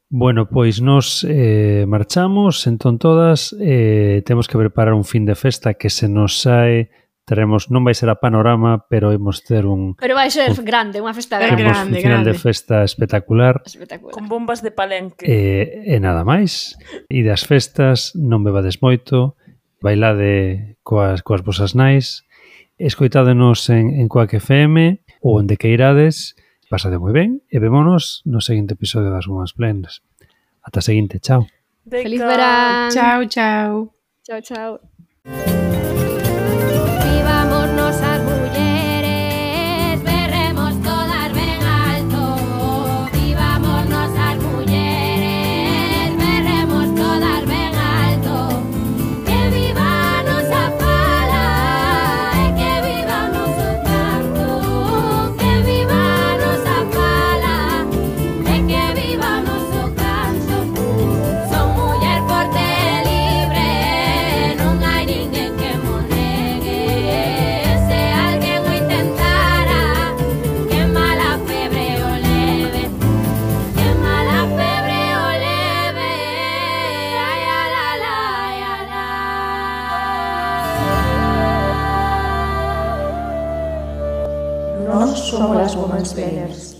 Bueno, pois nos eh, marchamos, entón todas, eh, temos que preparar un fin de festa que se nos sae, teremos, non vai ser a Panorama, pero imos ter un... Pero vai ser un, grande, unha festa grande. grande. un final grande. de festa espectacular. Espectacular. Con bombas de palenque. E, e nada máis. E das festas, non bebades moito, bailade coas, coas vosas nais, escoitádenos en, en Coac F M ou onde queirades. Pásade moi ben e vémonos no seguinte episodio das Women's Plenas. Ata a seguinte, chao. Feliz verán. Chao, chao. Chao, chao. Vivámonos as mulleres, berremos todas ben alto. Vivámonos as mulleres, berremos todas ben alto. Que viva a nosa fala e que viva o noso canto. Que viva a nosa fala e que viva o noso canto. Son muller forte e libre, non hai ninguén que mo negue. Se alguén o intentara, que mala febre o leve, que mala febre o leve. Ai, ai, ai, ai, ai, ai. Nós somos as Women's Planners.